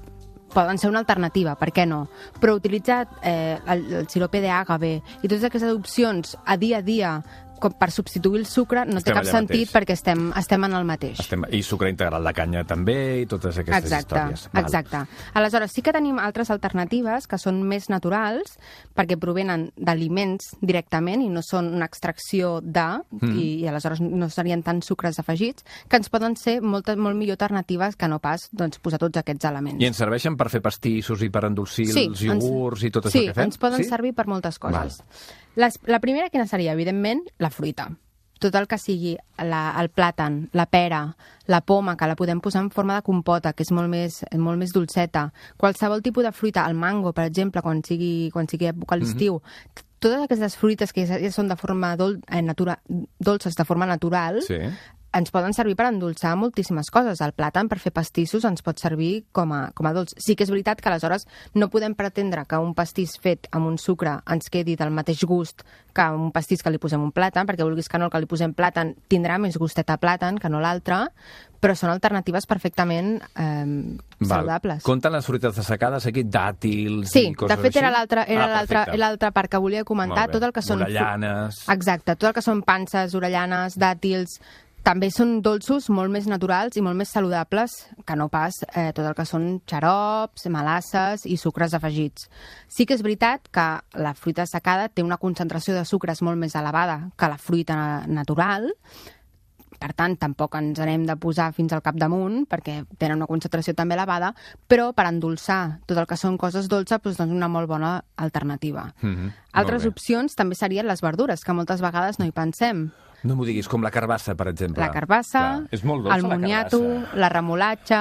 poden ser una alternativa, per què no? Però utilitzar eh, el, el sirope d'agave i totes aquestes opcions a dia a dia com per substituir el sucre no Estem té cap allà sentit mateix. perquè estem, estem en el mateix. Estem... I sucre integral de canya també, i totes aquestes Exacte, històries. Val. exacte. Aleshores, sí que tenim altres alternatives que són més naturals perquè provenen d'aliments directament i no són una extracció de, mm. i, i aleshores no serien tant sucres afegits, que ens poden ser moltes, molt millor alternatives que no pas doncs, posar tots aquests elements. I ens serveixen per fer pastissos i per endolcir Sí, els iogurts ens, i tot sí, això que fem? ens poden sí? servir per moltes coses. Les, la primera quina seria? Evidentment, la fruita. Tot el que sigui la, el plàtan, la pera, la poma, que la podem posar en forma de compota, que és molt més, molt més dolceta. Qualsevol tipus de fruita, el mango, per exemple, quan sigui, quan sigui època a l'estiu, mm-hmm. totes aquestes fruites que ja són de forma dol, eh, natura, dolces de forma natural, Sí. ens poden servir per endolçar moltíssimes coses. El plàtan, per fer pastissos, ens pot servir com a, com a dolç. Sí que és veritat que aleshores no podem pretendre que un pastís fet amb un sucre ens quedi del mateix gust que un pastís que li posem un plàtan, perquè vulguis que no, el que li posem plàtan tindrà més gustet a plàtan que no l'altre, però són alternatives perfectament eh, saludables. Compten les fruites dessecades aquí, dàtils Sí, i coses de fet així? era l'altra era Ah, l'altra perfecte. l'altra part que volia comentar, Molt bé. tot el que són... Orellanes. Exacte, tot el que són panses, orellanes, dàtils, també són dolços molt més naturals i molt més saludables que no pas eh, tot el que són xarops, melasses i sucres afegits. Sí que és veritat que la fruita secada té una concentració de sucres molt més elevada que la fruita natural, per tant, tampoc ens n'hem de posar fins al capdamunt, perquè tenen una concentració també elevada, però per endolçar tot el que són coses dolces, doncs, doncs una molt bona alternativa. Mhm, Altres molt bé. opcions també serien les verdures, que moltes vegades no hi pensem. No m'ho diguis, com la carbassa, per exemple. La carbassa, Clar, és molt dolça, el moniato, la carbassa. la remolatxa...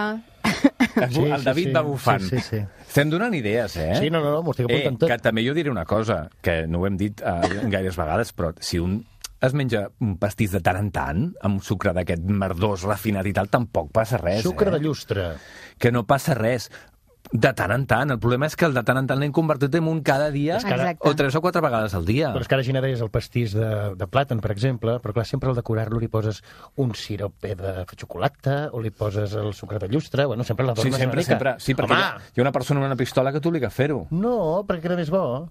El, el David va bufant. Sí, sí, sí. Estem donant idees, eh? Sí, no, no, no m'ho estic eh, apuntant tot. Que també jo diré una cosa, que no ho hem dit eh, gaires vegades, però si un es menja un pastís de tant en tant, amb sucre d'aquest merdós, refinat i tal, tampoc passa res, Sucre eh? de llustre. Que no passa res. De tant en tant. El problema és que el de tant en tant l'hem convertit en un cada dia Exacte. o tres o quatre vegades al dia. Però és que ara Gina deies el pastís de, de plàtan, per exemple, però clar, sempre al decorar-lo li poses un sirope de xocolata o li poses el sucre de llustre, bueno, sempre Sí, l'adornes sempre, una mica. sempre. Sí, perquè hi ha, Home, hi ha una persona amb una pistola que t'obliga a fer-ho. no, perquè era més bo.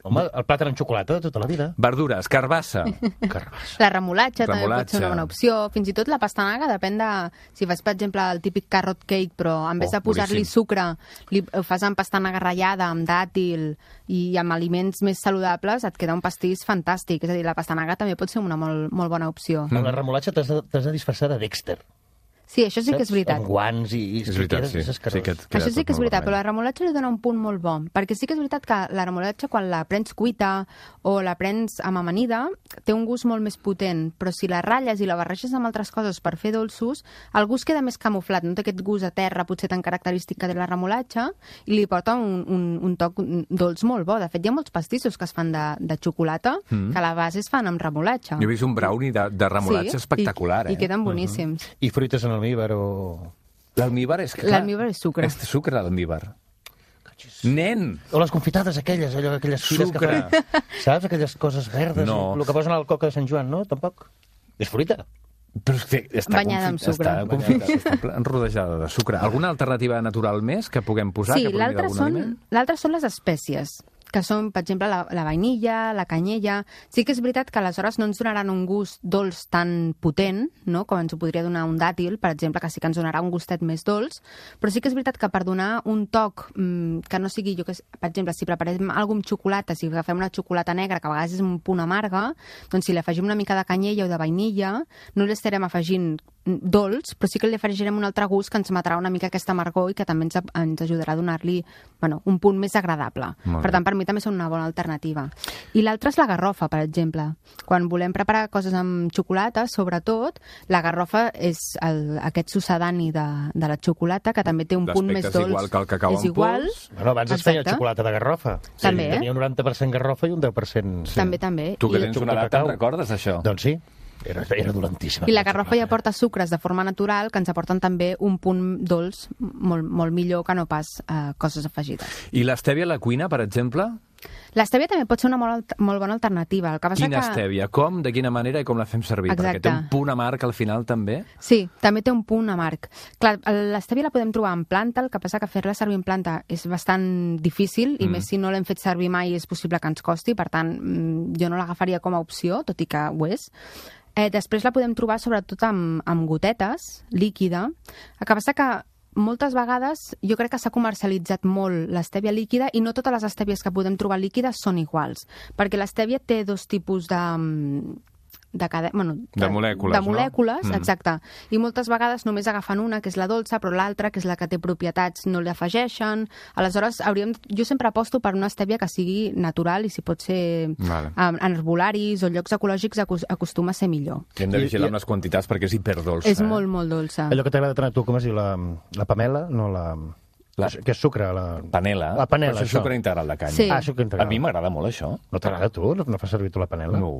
Home, el plàtan amb xocolata de tota la vida. Verdures, carbassa. Carbassa. La remolatxa, també pot Remolatxa. ser una bona opció. Fins i tot la pastanaga depèn de... Si fas, per exemple, el típic carrot cake, però en vez Oh, de posar-li boníssim. sucre, li, ho fas amb pastanaga ratllada, amb dàtil i amb aliments més saludables, et queda un pastís fantàstic. És a dir, la pastanaga també pot ser una molt, molt bona opció. Amb la remolatxa t'has de, t'has de disfressar de Dexter. Sí, això sí que és saps? veritat. Amb guants i... i És veritat, queda- sí. és escarós. Sí que et queda Això sí tot que és molt veritat, però la vermell. remolatxa li dona un punt molt bo, perquè sí que és veritat que la remolatxa, quan la prens cuita o la prens amb amanida, té un gust molt més potent, però si la ratlles i la barreges amb altres coses per fer dolços, el gust queda més camuflat, no té aquest gust a terra potser tan característic que té la remolatxa, i li porta un, un, un toc dolç molt bo. De fet, hi ha molts pastissos que es fan de, de xocolata, mm. que a la base es fan amb remolatxa. Jo he vist un brownie de, de remolatxa espectacular, i, eh? i queden boníssims. I fruites en almíbar o... L'almíbar és que... clar, L'almíbar és sucre. És sucre, l'almíbar. Nen! O les confitades aquelles, allò, aquelles fires que Sucre. fan. Saps? Aquelles coses verdes. No. El que posen al coca de Sant Joan, no? Tampoc. És fruita. Però és que està Banyada amb confit- sucre. Està, confit, està ple- rodejada de sucre. Alguna alternativa natural més que puguem posar? Sí, que provingui l'altre d'algun són, aliment? l'altre són les espècies, que són, per exemple, la, la vainilla, la canyella. Sí que és veritat que aleshores no ens donaran un gust dolç tan potent, no?, com ens ho podria donar un dàtil, per exemple, que sí que ens donarà un gustet més dolç, però sí que és veritat que per donar un toc mmm, que no sigui, jo que sé, per exemple, si preparem alguna amb xocolata, si agafem una xocolata negra, que a vegades és un punt amarga, doncs si li afegim una mica de canyella o de vainilla, no li estarem afegint dolç, però sí que li afegirem un altre gust que ens matarà una mica aquesta amargor i que també ens, ens ajudarà a donar-li, bueno, un punt més agradable. Molt Per bé. tant, per mi també són una bona alternativa. I l'altra és la garrofa, per exemple. Quan volem preparar coses amb xocolata, sobretot, la garrofa és el, aquest sucedani de, de la xocolata, que també té un punt més L'aspecte és dolç. igual que el cacau és en igual. pols. Bueno, abans es feia Exacte. xocolata de garrofa. També, eh? Tenia un noranta per cent garrofa i un deu per cent... Sí. També, també. Tu que I, tens una xocolata edat, te'n cacau. recordes d'això? Doncs sí, era, era dolentíssima. I la garrofa ja aporta sucres de forma natural que ens aporten també un punt dolç molt, molt millor que no pas eh, coses afegides. I l'estèvia a la cuina, per exemple? L'estèvia també pot ser una molt, molt bona alternativa. El que passa Quina que... estèvia? Com, de quina manera i com la fem servir? Exacte. Perquè té un punt amarg al final també. Sí, també té un punt amarg. Clar, l'estèvia la podem trobar en planta, el que passa que fer-la servir en planta és bastant difícil, i mm. més si no l'hem fet servir mai és possible que ens costi, per tant, jo no l'agafaria com a opció, tot i que ho és. Eh, després la podem trobar sobretot amb, amb gotetes, líquida. El que passa que moltes vegades jo crec que s'ha comercialitzat molt l'estèvia líquida i no totes les estèvies que podem trobar líquides són iguals, perquè l'estèvia té dos tipus de... De, cada, bueno, de, de molècules, de molècules no? exacte. I moltes vegades només agafen una, que és la dolça, però l'altra, que és la que té propietats, no l'afegeixen. Aleshores, hauríem... jo sempre aposto per una estèvia que sigui natural i si pot ser vale. en, en herbolaris o llocs ecològics acostuma a ser millor. I hem de vigilar amb les quantitats perquè és hiperdolça. És eh? molt, molt dolça. Allò que t'agrada tant a tu, com es diu? La, la pamela? No, la... La... Que és sucre, la... Panela. La panela, Però és això. sucre integral de canya. Sí. Ah, sucre integral. A mi m'agrada molt això. No t'agrada a tu? No, no fas servir tu la panela? No.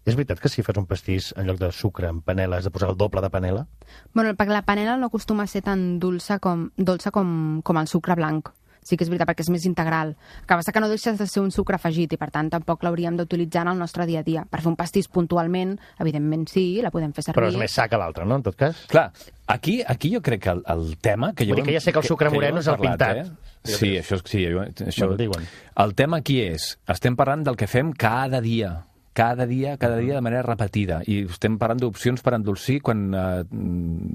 És veritat que si fas un pastís en lloc de sucre amb panela has de posar el doble de panela? Bueno, perquè la panela no acostuma a ser tan dolça com, dolça com, com el sucre blanc. Sí que és veritat, perquè és més integral. El que passa que no deixes de ser un sucre afegit i, per tant, tampoc l'hauríem d'utilitzar en el nostre dia a dia. Per fer un pastís puntualment, evidentment sí, la podem fer servir. Però és més sa que l'altre, no?, en tot cas? Clar, aquí, aquí jo crec que el, el tema... Que jo Vull dir que ja sé que el sucre moreno és el pintat. Eh? Sí, això, sí, això, Bueno, diuen. el tema aquí és, estem parlant del que fem cada dia, cada dia, cada dia de manera repetida, i estem parlant d'opcions per endolcir quan eh,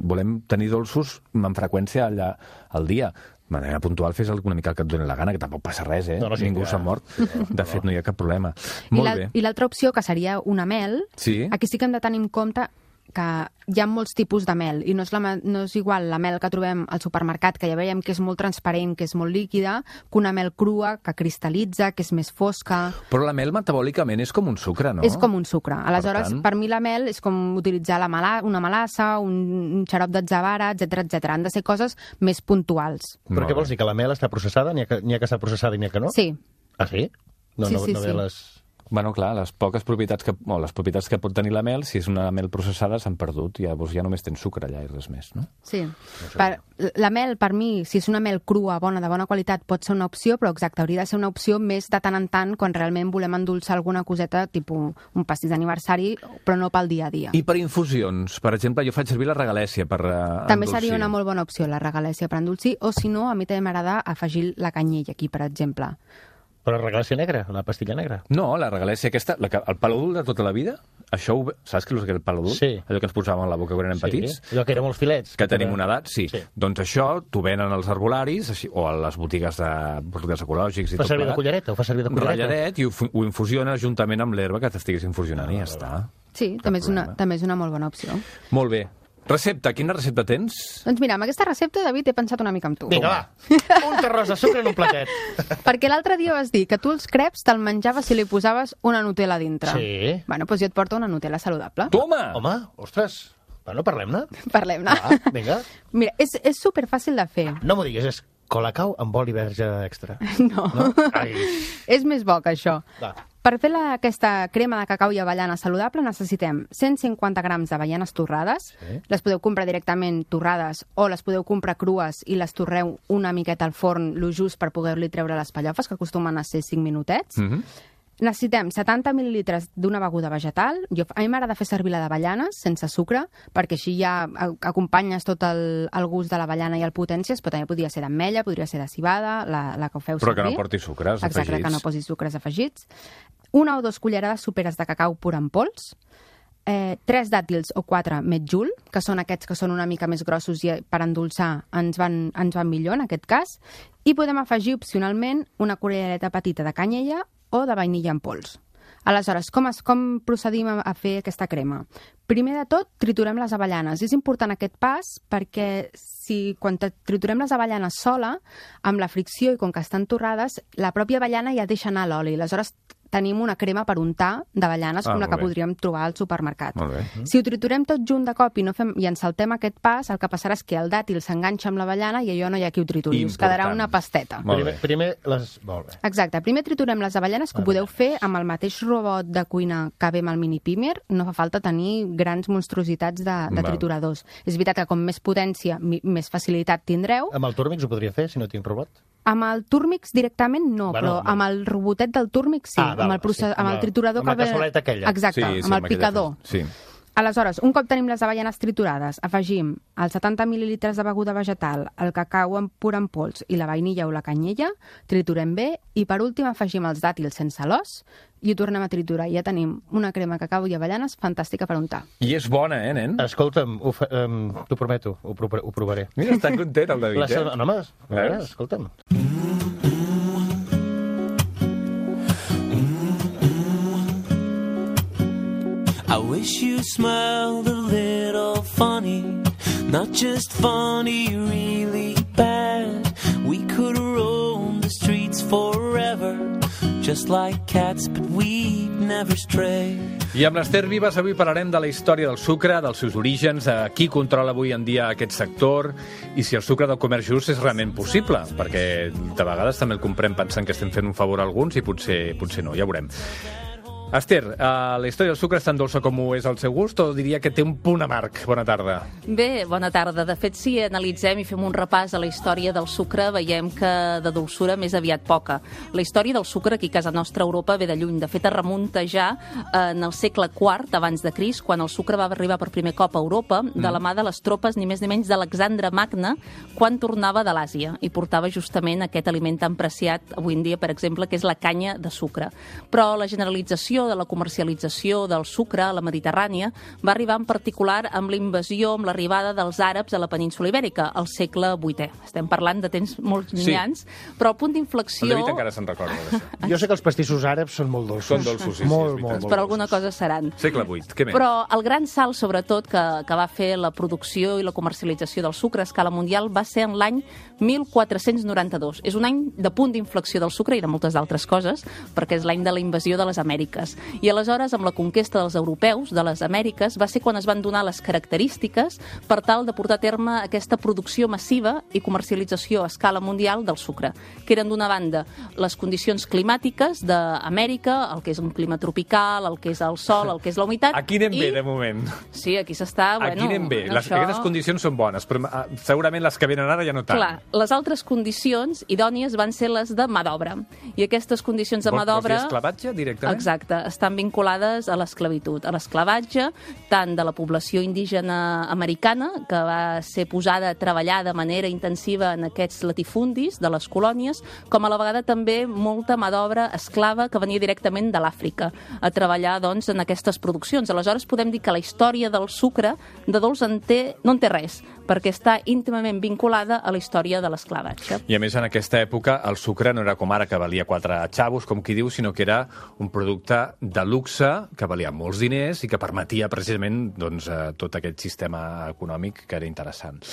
volem tenir dolços amb freqüència allà, al dia. De manera puntual fes una mica el que et doni la gana, que tampoc passa res, eh? No, no, sí, Ningú ja. s'ha mort. De fet, no hi ha cap problema. I Molt la- bé. I l'altra opció, que seria una mel, Sí. aquí sí que hem de tenir en compte que hi ha molts tipus de mel, i no és, la, me- no és igual la mel que trobem al supermercat, que ja veiem que és molt transparent, que és molt líquida, que una mel crua, que cristal·litza, que és més fosca. Però la mel metabòlicament és com un sucre, no? És com un sucre. Aleshores, tant- per, mi la mel és com utilitzar la mala, una melassa, un, un xarop d'atzavara, etcètera, etcètera. Han de ser coses més puntuals. Però Molt què vols dir, que la mel està processada? N'hi ha, que- n'hi ha que està processada i n'hi ha que no? Sí, Ah, sí? No, Sí, no, sí, no sí. ve les... Bueno, clar, les poques propietats que, o les propietats que pot tenir la mel, si és una mel processada, s'han perdut. Llavors ja només tens sucre allà i res més, no? sí. Per, la mel, per mi, si és una mel crua, bona, de bona qualitat, pot ser una opció, però exacte, hauria de ser una opció més de tant en tant quan realment volem endolçar alguna coseta, tipus un pastís d'aniversari, però no pel dia a dia. I per infusions, per exemple, jo faig servir la regalèssia per uh, També seria una molt bona opció, la regalèssia per endolcir, o si no, a mi també m'agrada afegir la canyella aquí, per exemple. Però la regalàcia negra, la pastilla negra. No, la regalèssia aquesta, la que, el paladul de tota la vida, això, ho, saps què és el paladul? Sí. Allò que ens posàvem a la boca quan érem petits? Allò que eren molts filets. Que tenim una edat, sí. Sí. Doncs això t'ho venen als herbolaris així, o a les botigues de productes ecològics i Fa tot servir de plegat. cullereta, ho fa servir de cullereta. Ralladet, i ho, fu- ho infusiones juntament amb l'herba que t'estiguis infusionant i ja està. Sí, Cap també és, una, problema. també és una molt bona opció. Molt bé. Recepta, quina recepta tens? Doncs mira, amb aquesta recepta, David, he pensat una mica amb tu. Vinga, va. Un terròs de sucre en un platet. Perquè l'altre dia vas dir que tu els creps te'l menjaves si li posaves una Nutella a dintre. Sí. Bueno, doncs jo et porto una Nutella saludable. Toma! Home, ostres. Bueno, parlem-ne. Parlem-ne. Va, vinga. Mira, és, és superfàcil de fer. No m'ho diguis, és colacau amb oli verge extra. No. No? Ai. És més bo que això. Va. Per fer la, aquesta crema de cacau i avellana saludable necessitem cent cinquanta grams d'avellanes torrades. Sí. Les podeu comprar directament torrades o les podeu comprar crues i les torreu una miqueta al forn, lo just per poder-li treure les pallofes, que acostumen a ser cinc minutets. Mm -hmm. Necessitem setanta mil·lilitres d'una beguda vegetal. Jo, a mi m'agrada fer servir la d'avellanes, sense sucre, perquè així ja a- acompanyes tot el, el gust de l'avellana i el potències, però també podria ser d'ametlla, podria ser de cibada, la, la que ho feu Però servir. que no porti sucres Exacte, afegits. que no posi sucres afegits. Una o dos cullerades soperes de cacau pur en pols. Eh, tres dàtils o quatre metjul, que són aquests que són una mica més grossos i per endolçar ens van, ens van millor en aquest cas. I podem afegir opcionalment una cullereta petita de canyella o de vainilla en pols. Aleshores, com, es, com procedim a, a fer aquesta crema? Primer de tot, triturem les avellanes. És important aquest pas perquè si quan triturem les avellanes sola, amb la fricció i com que estan torrades, la pròpia avellana ja deixa anar l'oli. Aleshores, tenim una crema per untar d'avellanes Ah, com la molt que bé. podríem trobar al supermercat. Molt bé. Si ho triturem tot junt de cop i, no fem, i ens saltem aquest pas, el que passarà és que el dàtil s'enganxa amb l'avellana i allò no hi ha qui ho trituri. Us Important. quedarà una pasteta. Molt Primer, bé. primer les... Molt bé. Exacte. Primer triturem les avellanes, que ho podeu fer amb el mateix robot de cuina que ve amb el mini pimer. No fa falta tenir grans monstruositats de, de Val. trituradors. És veritat que com més potència, mi- més facilitat tindreu. Amb el Turmix ho podria fer, si no tinc robot? Amb el Turmix directament no, Bueno, però no. amb el robotet del Turmix sí, Ah, val, amb, el procés, sí, amb el amb la- triturador amb la que ve- cassoleta aquella. Exacte, Sí, sí, amb el amb aquella picador. fe- sí. Aleshores, un cop tenim les avellanes triturades, afegim els setanta mil·lilitres de beguda vegetal, el cacau en pur en pols i la vainilla o la canyella, triturem bé i per últim afegim els dàtils sense l'os i ho tornem a triturar. I ja tenim una crema cacau i avellanes fantàstica per untar. I és bona, eh, nen? Escolta'm, ho fa, um, t'ho prometo, ho, pro ho provaré. Mira, està content el David, La eh? seva... No, home, a veure, Veus? escolta'm. I wish you smiled a little funny, not just funny, really bad. We could roam the streets forever, just like cats, but we'd never stray. I amb l'Ester Vives avui parlarem de la història del sucre, dels seus orígens, de qui controla avui en dia aquest sector i si el sucre del comerç just és realment possible, perquè de vegades també el comprem pensant que estem fent un favor a alguns i potser, potser no, ja veurem. Ester, uh, la història del sucre és tan dolça com ho és el seu gust o diria que té un punt amarg? Bona tarda. Bé, bona tarda. De fet, si analitzem i fem un repàs a la història del sucre, veiem que de dolçura més aviat poca. La història del sucre aquí a casa nostra a Europa ve de lluny. De fet, es remunta ja en el segle quart abans de Crist, quan el sucre va arribar per primer cop a Europa, de la mà de les tropes ni més ni menys d'Alexandre Magne, quan tornava de l'Àsia i portava justament aquest aliment tan preciat avui en dia, per exemple, que és la canya de sucre. Però la generalització de la comercialització del sucre a la Mediterrània va arribar en particular amb la invasió, amb l'arribada dels àrabs a la península Ibèrica, al segle vuitè. Estem parlant de temps molt Sí. llunyans, però el punt d'inflexió... El David encara se'n recorda d'això. Jo sé que els pastissos àrabs són molt dolços. Són dolços, sí, sí, molt, és molt, veritat. molt per alguna cosa seran. Segle vuit, què més? Però el gran salt, sobretot, que, que va fer la producció i la comercialització del sucre a escala mundial va ser en l'any mil quatre-cents noranta-dos. És un any de punt d'inflexió del sucre i de moltes altres coses, perquè és l'any de la invasió de les Amèriques. I aleshores, amb la conquesta dels europeus de les Amèriques, va ser quan es van donar les característiques per tal de portar a terme aquesta producció massiva i comercialització a escala mundial del sucre, que eren d'una banda les condicions climàtiques d'Amèrica, el que és un clima tropical, el que és el sol, el que és la humitat... Aquí anem i... bé, de moment. Sí, aquí s'està... Aquí Bueno, anem bé. Les, això... Aquestes condicions són bones, però ah, segurament les que venen ara ja no tant. Clar, les altres condicions idònies van ser les de mà d'obra. I aquestes condicions de mà Vols dir d'obra... esclavatge, directament? Exacte, estan vinculades a l'esclavitud, a l'esclavatge tant de la població indígena americana, que va ser posada a treballar de manera intensiva en aquests latifundis de les colònies, com a la vegada també molta mà d'obra esclava que venia directament de l'Àfrica a treballar doncs, en aquestes produccions. Aleshores podem dir que la història del sucre de dolç en té, no en té res, perquè està íntimament vinculada a la història de l'esclavatge. I a més, en aquesta època, el sucre no era com ara, que valia quatre xavos, com qui diu, sinó que era un producte de luxe, que valia molts diners i que permetia precisament doncs, eh, tot aquest sistema econòmic que era interessant.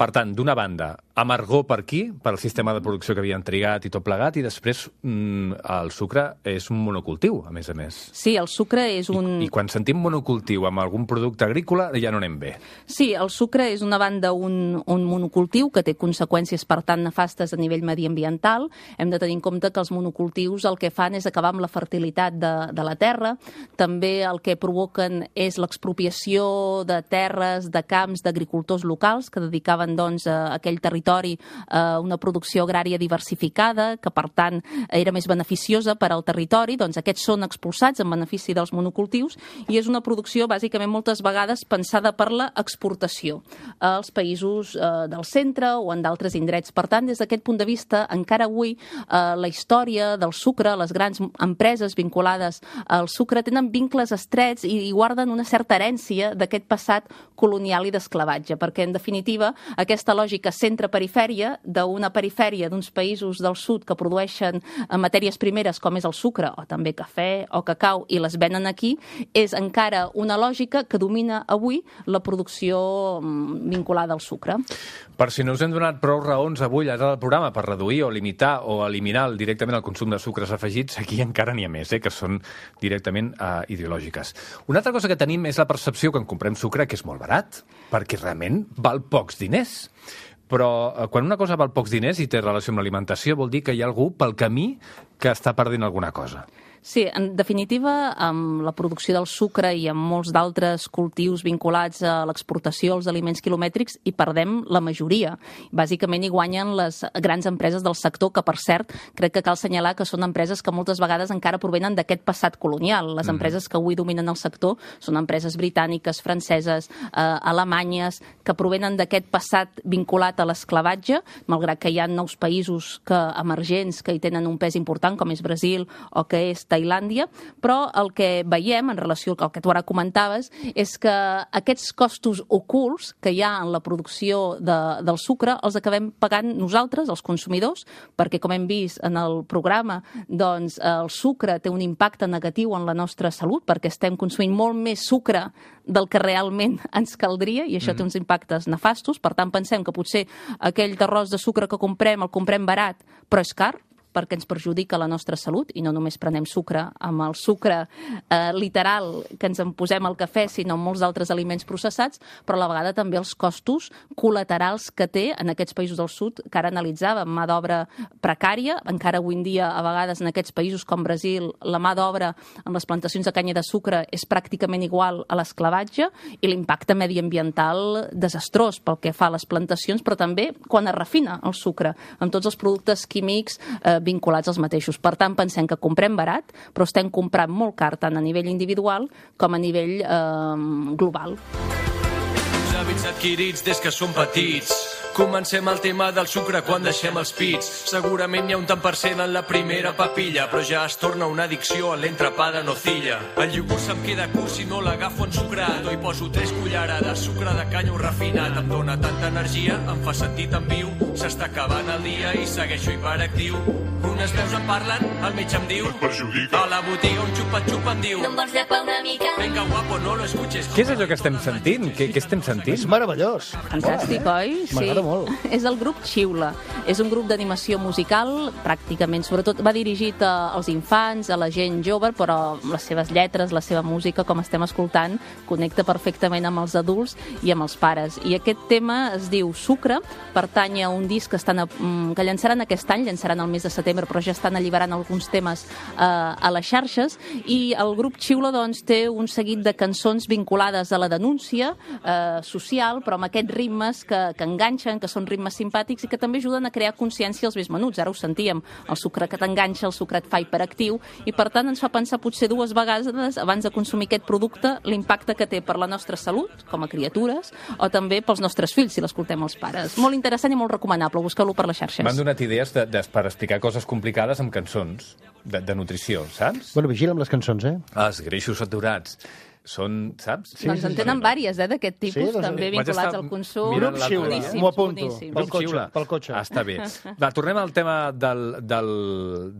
Per tant, d'una banda, amargor per aquí, per al sistema de producció que havien trigat i tot plegat, i després mm, el sucre és un monocultiu, a més a més. Sí, el sucre és un... I, I quan sentim monocultiu amb algun producte agrícola, ja no anem bé. Sí, el sucre és una banda un, un monocultiu que té conseqüències, per tant, nefastes a nivell mediambiental. Hem de tenir en compte que els monocultius el que fan és acabar amb la fertilitat de, de la terra. També el que provoquen és l'expropiació de terres, de camps, d'agricultors locals que dedicaven doncs, a aquell territori a una producció agrària diversificada, que per tant era més beneficiosa per al territori, doncs aquests són expulsats en benefici dels monocultius i és una producció bàsicament moltes vegades pensada per la exportació als països eh, del centre o en d'altres indrets. Per tant, des d'aquest punt de vista, encara avui eh, la història del sucre, les grans empreses vinculades al sucre tenen vincles estrets i, i guarden una certa herència d'aquest passat colonial i d'esclavatge, perquè en definitiva aquesta lògica centre-perifèria d'una perifèria d'uns països del sud que produeixen matèries primeres com és el sucre o també cafè o cacau i les venen aquí, és encara una lògica que domina avui la producció vinculada al sucre. Per si no us hem donat prou raons avui al programa per reduir o limitar o eliminar directament el consum de sucres afegits, aquí encara n'hi ha més, eh, que són directament uh, ideològiques. Una altra cosa que tenim és la percepció que en comprem sucre que és molt barat, perquè realment val pocs diners. Però eh, quan una cosa val pocs diners i té relació amb l'alimentació vol dir que hi ha algú pel camí que està perdent alguna cosa. Sí, en definitiva, amb la producció del sucre i amb molts d'altres cultius vinculats a l'exportació, als aliments quilomètrics, hi perdem la majoria. Bàsicament hi guanyen les grans empreses del sector, que per cert, crec que cal assenyalar que són empreses que moltes vegades encara provenen d'aquest passat colonial. Les empreses que avui dominen el sector són empreses britàniques, franceses, eh, alemanyes, que provenen d'aquest passat vinculat a l'esclavatge, malgrat que hi ha nous països que, emergents que hi tenen un pes important, com és Brasil o que és Tailàndia, però el que veiem en relació al que tu ara comentaves és que aquests costos ocults que hi ha en la producció de, del sucre els acabem pagant nosaltres, els consumidors, perquè com hem vist en el programa, doncs el sucre té un impacte negatiu en la nostra salut perquè estem consumint molt més sucre del que realment ens caldria i això mm. té uns impactes nefastos. Per tant, pensem que potser aquell arròs de sucre que comprem el comprem barat, però és car, perquè ens perjudica la nostra salut, i no només prenem sucre amb el sucre eh, literal que ens en posem al cafè, sinó amb molts altres aliments processats, però a la vegada també els costos col·laterals que té en aquests països del sud, que ara analitzàvem, mà d'obra precària, encara avui en dia, a vegades, en aquests països com Brasil, la mà d'obra en les plantacions de canya de sucre és pràcticament igual a l'esclavatge, i l'impacte mediambiental desastrós pel que fa a les plantacions, però també quan es refina el sucre, amb tots els productes químics eh, vinculats als mateixos. Per tant, pensem que comprem barat, però estem comprant molt car tant a nivell individual com a nivell eh, global. Els hàbits adquirits des que som petits. Comencem el tema del sucre quan deixem els pits. Segurament hi ha un tant per cent en la primera papilla, però ja es torna una addicció a l'entrepà de nocilla. El iogurt se'm queda curt si no l'agafo ensucrat, o hi poso tres cullerades, sucre de canya o refinat. Em dóna tanta energia, em fa sentir tan viu, s'està acabant el dia i segueixo hiperactiu. Unes veus em parlen, el metge em diu, a la botiga un xupa-xupa em diu, no em vols llapar una mica? Venga guapo, no lo escuches. Què és allò que estem sentint? Què, què estem sentint? És meravellós. Fantàstic, oi? Sí. M'agrada molt. És el grup Xiula. És un grup d'animació musical, pràcticament, sobretot va dirigit als infants, a la gent jove, però les seves lletres, la seva música, com estem escoltant, connecta perfectament amb els adults i amb els pares. I aquest tema es diu Sucre, pertany a un disc que, estan a, que llançaran aquest any, llançaran el mes de setembre, però ja estan alliberant alguns temes eh, a les xarxes, i el grup Xiula doncs, té un seguit de cançons vinculades a la denúncia eh, social, però amb aquests ritmes que, que enganxen, que són ritmes simpàtics i que també ajuden a crear consciència als més menuts. Ara ho sentíem, el sucre que t'enganxa, el sucre et fa hiperactiu, i per tant ens fa pensar potser dues vegades abans de consumir aquest producte l'impacte que té per la nostra salut, com a criatures, o també pels nostres fills, si l'escoltem els pares. Molt interessant i molt recomanable, busqueu-lo per les xarxes. M'han donat idees de, de, per explicar coses complicades amb cançons de, de nutrició, saps? Bueno, vigila amb les cançons, eh? Els greixos saturats. Són, saps? Sí, doncs en tenen sí, vàries, eh, d'aquest tipus, sí, doncs, també vinculats al consum. Grup Xiula, m'ho apunto, pel cotxe, pel cotxe. Ah, està bé. Va, tornem al tema del, del,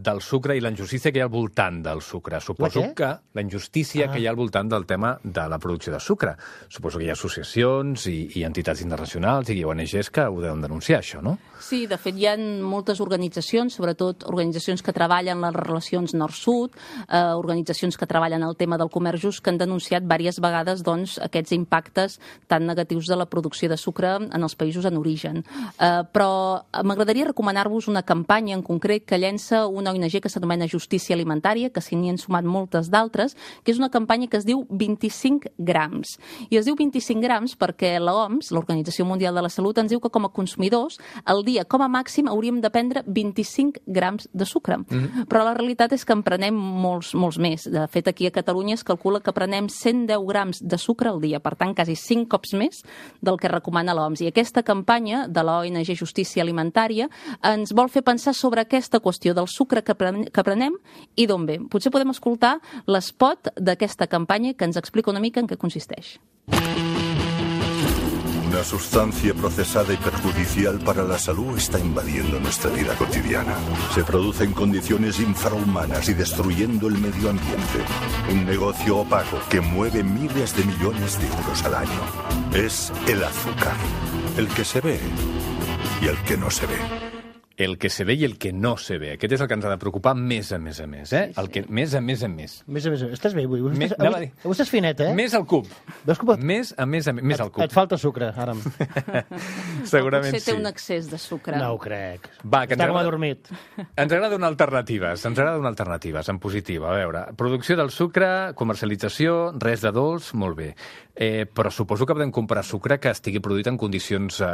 del sucre i la injustícia que hi ha al voltant del sucre. Suposo que la injustícia ah. que hi ha al voltant del tema de la producció de sucre. Suposo que hi ha associacions i, i entitats internacionals i O N Ges que ho deuen denunciar, això, no? Sí, de fet, hi ha moltes organitzacions, sobretot organitzacions que treballen les relacions nord-sud, eh, organitzacions que treballen el tema del comerç just, que han denunciat diverses vegades doncs, aquests impactes tan negatius de la producció de sucre en els països en origen. Eh, però m'agradaria recomanar-vos una campanya en concret que llença una O N G que s'anomena Justícia Alimentària, que s'hi han sumat moltes d'altres, que és una campanya que es diu vint-i-cinc grams. I es diu vint-i-cinc grams perquè l'O M S, l'Organització Mundial de la Salut, ens diu que com a consumidors, al dia, com a màxim, hauríem de prendre vint-i-cinc grams de sucre. Mm-hmm. Però la realitat és que en prenem molts, molts més. De fet, aquí a Catalunya es calcula que prenem cent deu grams de sucre al dia, per tant, quasi cinc cops més del que recomana l'O M S. I aquesta campanya de la O N G Justícia Alimentària ens vol fer pensar sobre aquesta qüestió del sucre que prenem i d'on ve. Potser podem escoltar l'espot d'aquesta campanya que ens explica una mica en què consisteix. Una sustancia procesada y perjudicial para la salud está invadiendo nuestra vida cotidiana. Se produce en condiciones infrahumanas y destruyendo el medio ambiente. Un negocio opaco que mueve miles de millones de euros al año. Es el azúcar, el que se ve y el que no se ve. el que se ve i el que no se ve. Aquest és el que ens ha de preocupar més a més a més, eh? Sí, sí. El que més a més a més. Més a més a més. Estàs bé avui? Avui, Més- estàs, anava a avui, dir. avui estàs finet, eh? Més al cub. Veus que pot... Més a més a més, més al cub. Et falta sucre, ara. Segurament Potser té sí. un excés de sucre. No ho crec. Va, que ens Està com agrada- adormit. Ens agrada donar alternatives, ens agrada donar alternatives, en positiva. A veure, producció del sucre, comercialització, res de dolç, molt bé. Eh, però suposo que podem comprar sucre que estigui produït en condicions eh,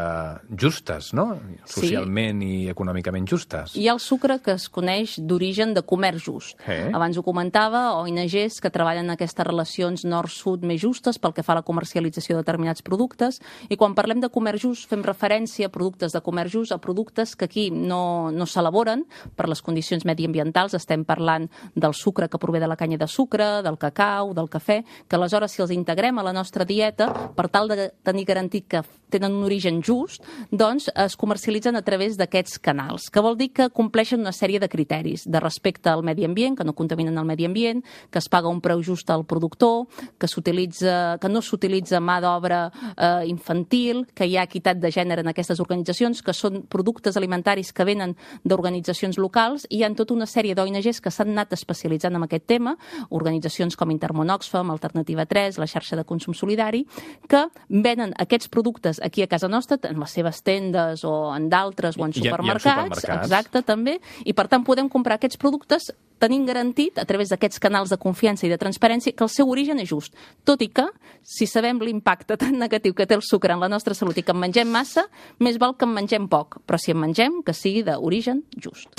justes, no? Socialment i econòmicament justes. Hi ha el sucre que es coneix d'origen de comerç just. Eh? Abans ho comentava, O N Ges que treballen en aquestes relacions nord-sud més justes pel que fa a la comercialització de determinats productes, i quan parlem de comerç just fem referència a productes de comerç just, a productes que aquí no, no s'elaboren per les condicions mediambientals. Estem parlant del sucre que prové de la canya de sucre, del cacau, del cafè, que aleshores si els integrem a la nostra dieta, per tal de tenir garantit que tenen un origen just, doncs es comercialitzen a través d'aquests canals, que vol dir que compleixen una sèrie de criteris de respecte al medi ambient, que no contaminen el medi ambient, que es paga un preu just al productor, que s'utilitza, que no s'utilitza mà d'obra eh, infantil, que hi ha equitat de gènere en aquestes organitzacions, que són productes alimentaris que venen d'organitzacions locals, i hi ha tota una sèrie d'O N Ges que s'han anat especialitzant en aquest tema, organitzacions com Intermón Oxfam, Alternativa tres, la xarxa de consum solidari, que venen aquests productes aquí a casa nostra, en les seves tendes o en d'altres, o en I- i en supermercats, supermercats. exacte, també, i per tant podem comprar aquests productes tenint garantit, a través d'aquests canals de confiança i de transparència, que el seu origen és just. Tot i que, si sabem l'impacte tan negatiu que té el sucre en la nostra salut i que en mengem massa, més val que en mengem poc, però si en mengem, que sigui d'origen just.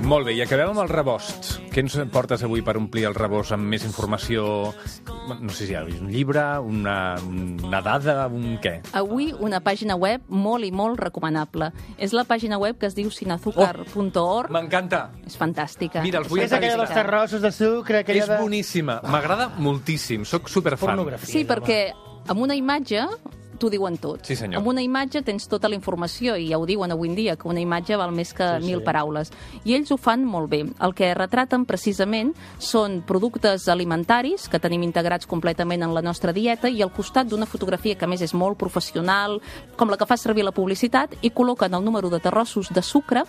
Molt bé, i acabem amb el rebost. Què ens portes avui per omplir el rebost amb més informació? No sé si hi ha un llibre, una, una dada, un què? Avui una pàgina web molt i molt recomanable. És la pàgina web que es diu sinazúcar punt org. Oh, m'encanta. És fantàstica. Mira, els vull És aquella dels terrossos de sucre, aquella És de... boníssima. M'agrada moltíssim. Soc superfan. Pornografia. Sí, perquè amb una imatge t'ho diuen tot. Sí, senyor. Amb una imatge tens tota la informació, i ja ho diuen avui en dia, que una imatge val més que Sí, mil sí. paraules. I ells ho fan molt bé. El que retraten precisament són productes alimentaris que tenim integrats completament en la nostra dieta, i al costat d'una fotografia que a més és molt professional, com la que fa servir la publicitat, i col·loquen el número de terrossos de sucre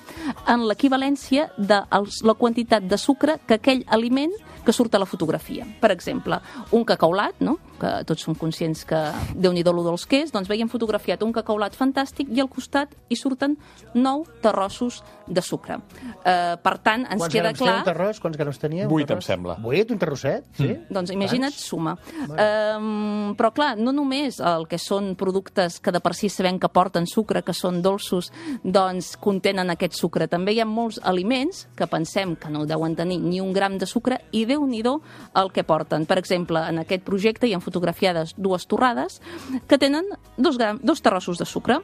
en l'equivalència de els- la quantitat de sucre que aquell aliment que surt a la fotografia. Per exemple, un cacaulat, no? Que tots som conscients que Déu-n'hi-do lo dolç que és, doncs veiem fotografiat un cacaulat fantàstic i al costat hi surten nou terrossos de sucre. Eh, per tant, ens Quants queda grams té un clar... terrós? Quants grams tenia? un Vuit, em terrós? sembla. Vuit, un terrosset? Sí? Doncs imagina't, suma. Um, però clar, no només el que són productes que de per si sabem que porten sucre, que són dolços, doncs contenen aquest sucre. També hi ha molts aliments que pensem que no deuen tenir ni un gram de sucre, i Déu-n'hi-do el que porten. Per exemple, en aquest projecte hi ha fotografiades dues torrades que tenen dos, gram, dos terrossos de sucre.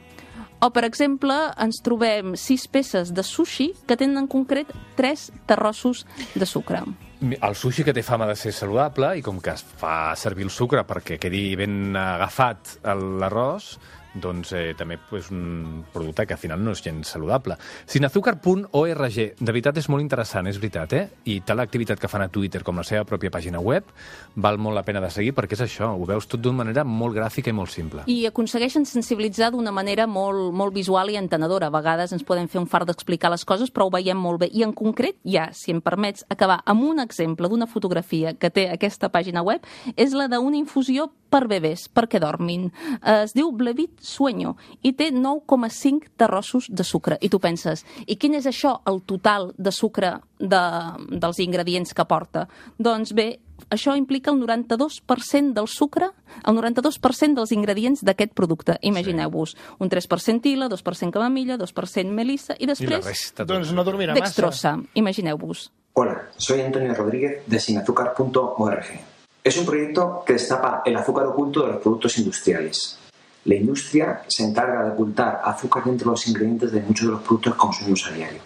O, per exemple, ens trobem sis peces de sushi que tenen en concret tres terrossos de sucre. El sushi que té fama de ser saludable, i com que es fa servir el sucre perquè quedi ben agafat l'arròs, doncs eh, també és un producte que al final no és gens saludable. sinazúcar punt org, de veritat és molt interessant, és veritat, eh? I tal l'activitat que fan a Twitter com la seva pròpia pàgina web val molt la pena de seguir, perquè és això, ho veus tot d'una manera molt gràfica i molt simple. I aconsegueixen sensibilitzar d'una manera molt, molt visual i entenedora. A vegades ens podem fer un fart d'explicar les coses, però ho veiem molt bé. I en concret, ja, si em permets acabar amb un exemple d'una fotografia que té aquesta pàgina web, és la d'una infusió per bebès, perquè dormin. Eh, es diu Blevit Sueño i té nou coma cinc terrossos de sucre. I tu penses, i quin és això, el total de sucre de, dels ingredients que porta? Doncs bé, això implica el noranta-dos per cent del sucre, el noranta-dos per cent dels ingredients d'aquest producte. Imagineu-vos, un tres per cent tila, dos per cent camamilla, dos per cent melissa i I la després resta, Doncs no dormirà massa. dextrosa. Imagineu-vos. Hola, soy Antonio Rodríguez de sinazúcar punto org. Es un proyecto que destapa el azúcar oculto de los productos industriales. La industria se encarga de ocultar azúcar dentro de los ingredientes de muchos de los productos que consumimos a diario.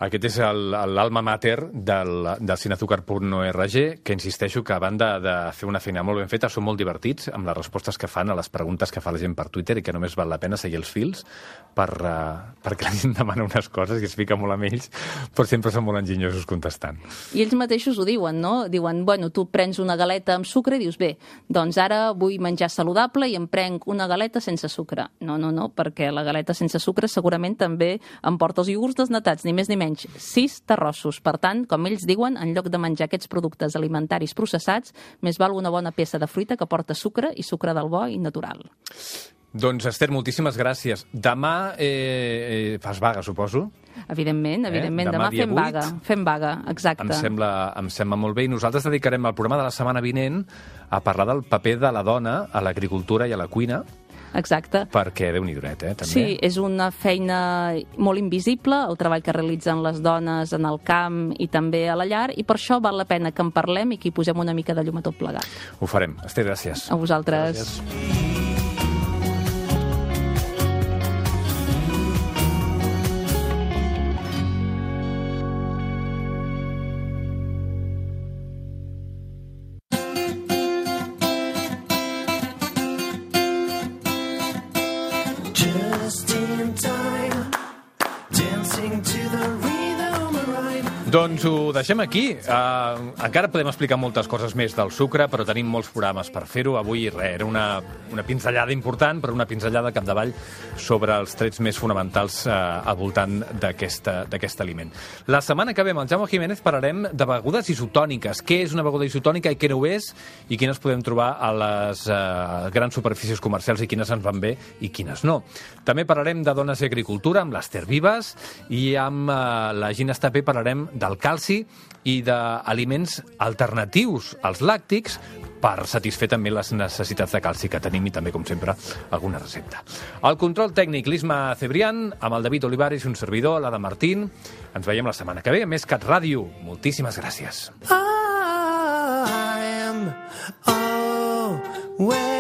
Aquest és el- l'alma mater del, del Sinazucar punt org, que insisteixo que a banda de fer una feina molt ben feta, són molt divertits amb les respostes que fan a les preguntes que fa la gent per Twitter i que només val la pena seguir els fils per, uh, perquè la gent demana unes coses i es fica molt amb ells, però sempre són molt enginyosos contestant. I ells mateixos ho diuen, no? Diuen, bueno, tu prens una galeta amb sucre i dius, bé, doncs ara vull menjar saludable i em prenc una galeta sense sucre. No, no, no, perquè la galeta sense sucre segurament també em porta els iogurts desnatats, ni més ni menys. Sis terrossos. Per tant, com ells diuen, en lloc de menjar aquests productes alimentaris processats, més val una bona peça de fruita que porta sucre i sucre del bo i natural. Doncs, Esther, moltíssimes gràcies. Demà eh, eh, fas vaga, suposo? Evidentment, evidentment. Eh? Demà Demà, dia fem vuit. vaga. Fem vaga, exacte. Em sembla, em sembla molt bé. I nosaltres dedicarem el programa de la setmana vinent a parlar del paper de la dona a l'agricultura i a la cuina, Exacte. perquè Déu-n'hi-do net, eh, també. Sí, és una feina molt invisible, el treball que realitzen les dones en el camp i també a la llar, i per això val la pena que en parlem i que hi posem una mica de llum a tot plegat. Ho farem. Esther, gràcies. A vosaltres. Gràcies. Just in time, dancing to the rhythm of rhyme. Doncs ho deixem aquí. Uh, encara podem explicar moltes coses més del sucre, però tenim molts programes per fer-ho. Avui, res, era una, una pinzellada important, però una pinzellada capdavall sobre els trets més fonamentals uh, al voltant d'aquest aliment. La setmana que ve amb el Jaume Jiménez parlarem de begudes isotòniques. Què és una beguda isotònica i què no ho és, i quines podem trobar a les uh, grans superfícies comercials i quines ens van bé i quines no. També parlarem de dones i agricultura amb l'Esther Vives, i amb uh, la Gina Estapé parlarem del calci i d'aliments alternatius als làctics per satisfer també les necessitats de calci que tenim i també, com sempre, alguna recepta. El control tècnic, l'Isma Cebrián, amb el David Olivares i un servidor, l'Ada Martín. Ens veiem la setmana que ve a Més Cat Ràdio. Moltíssimes gràcies. I am aware.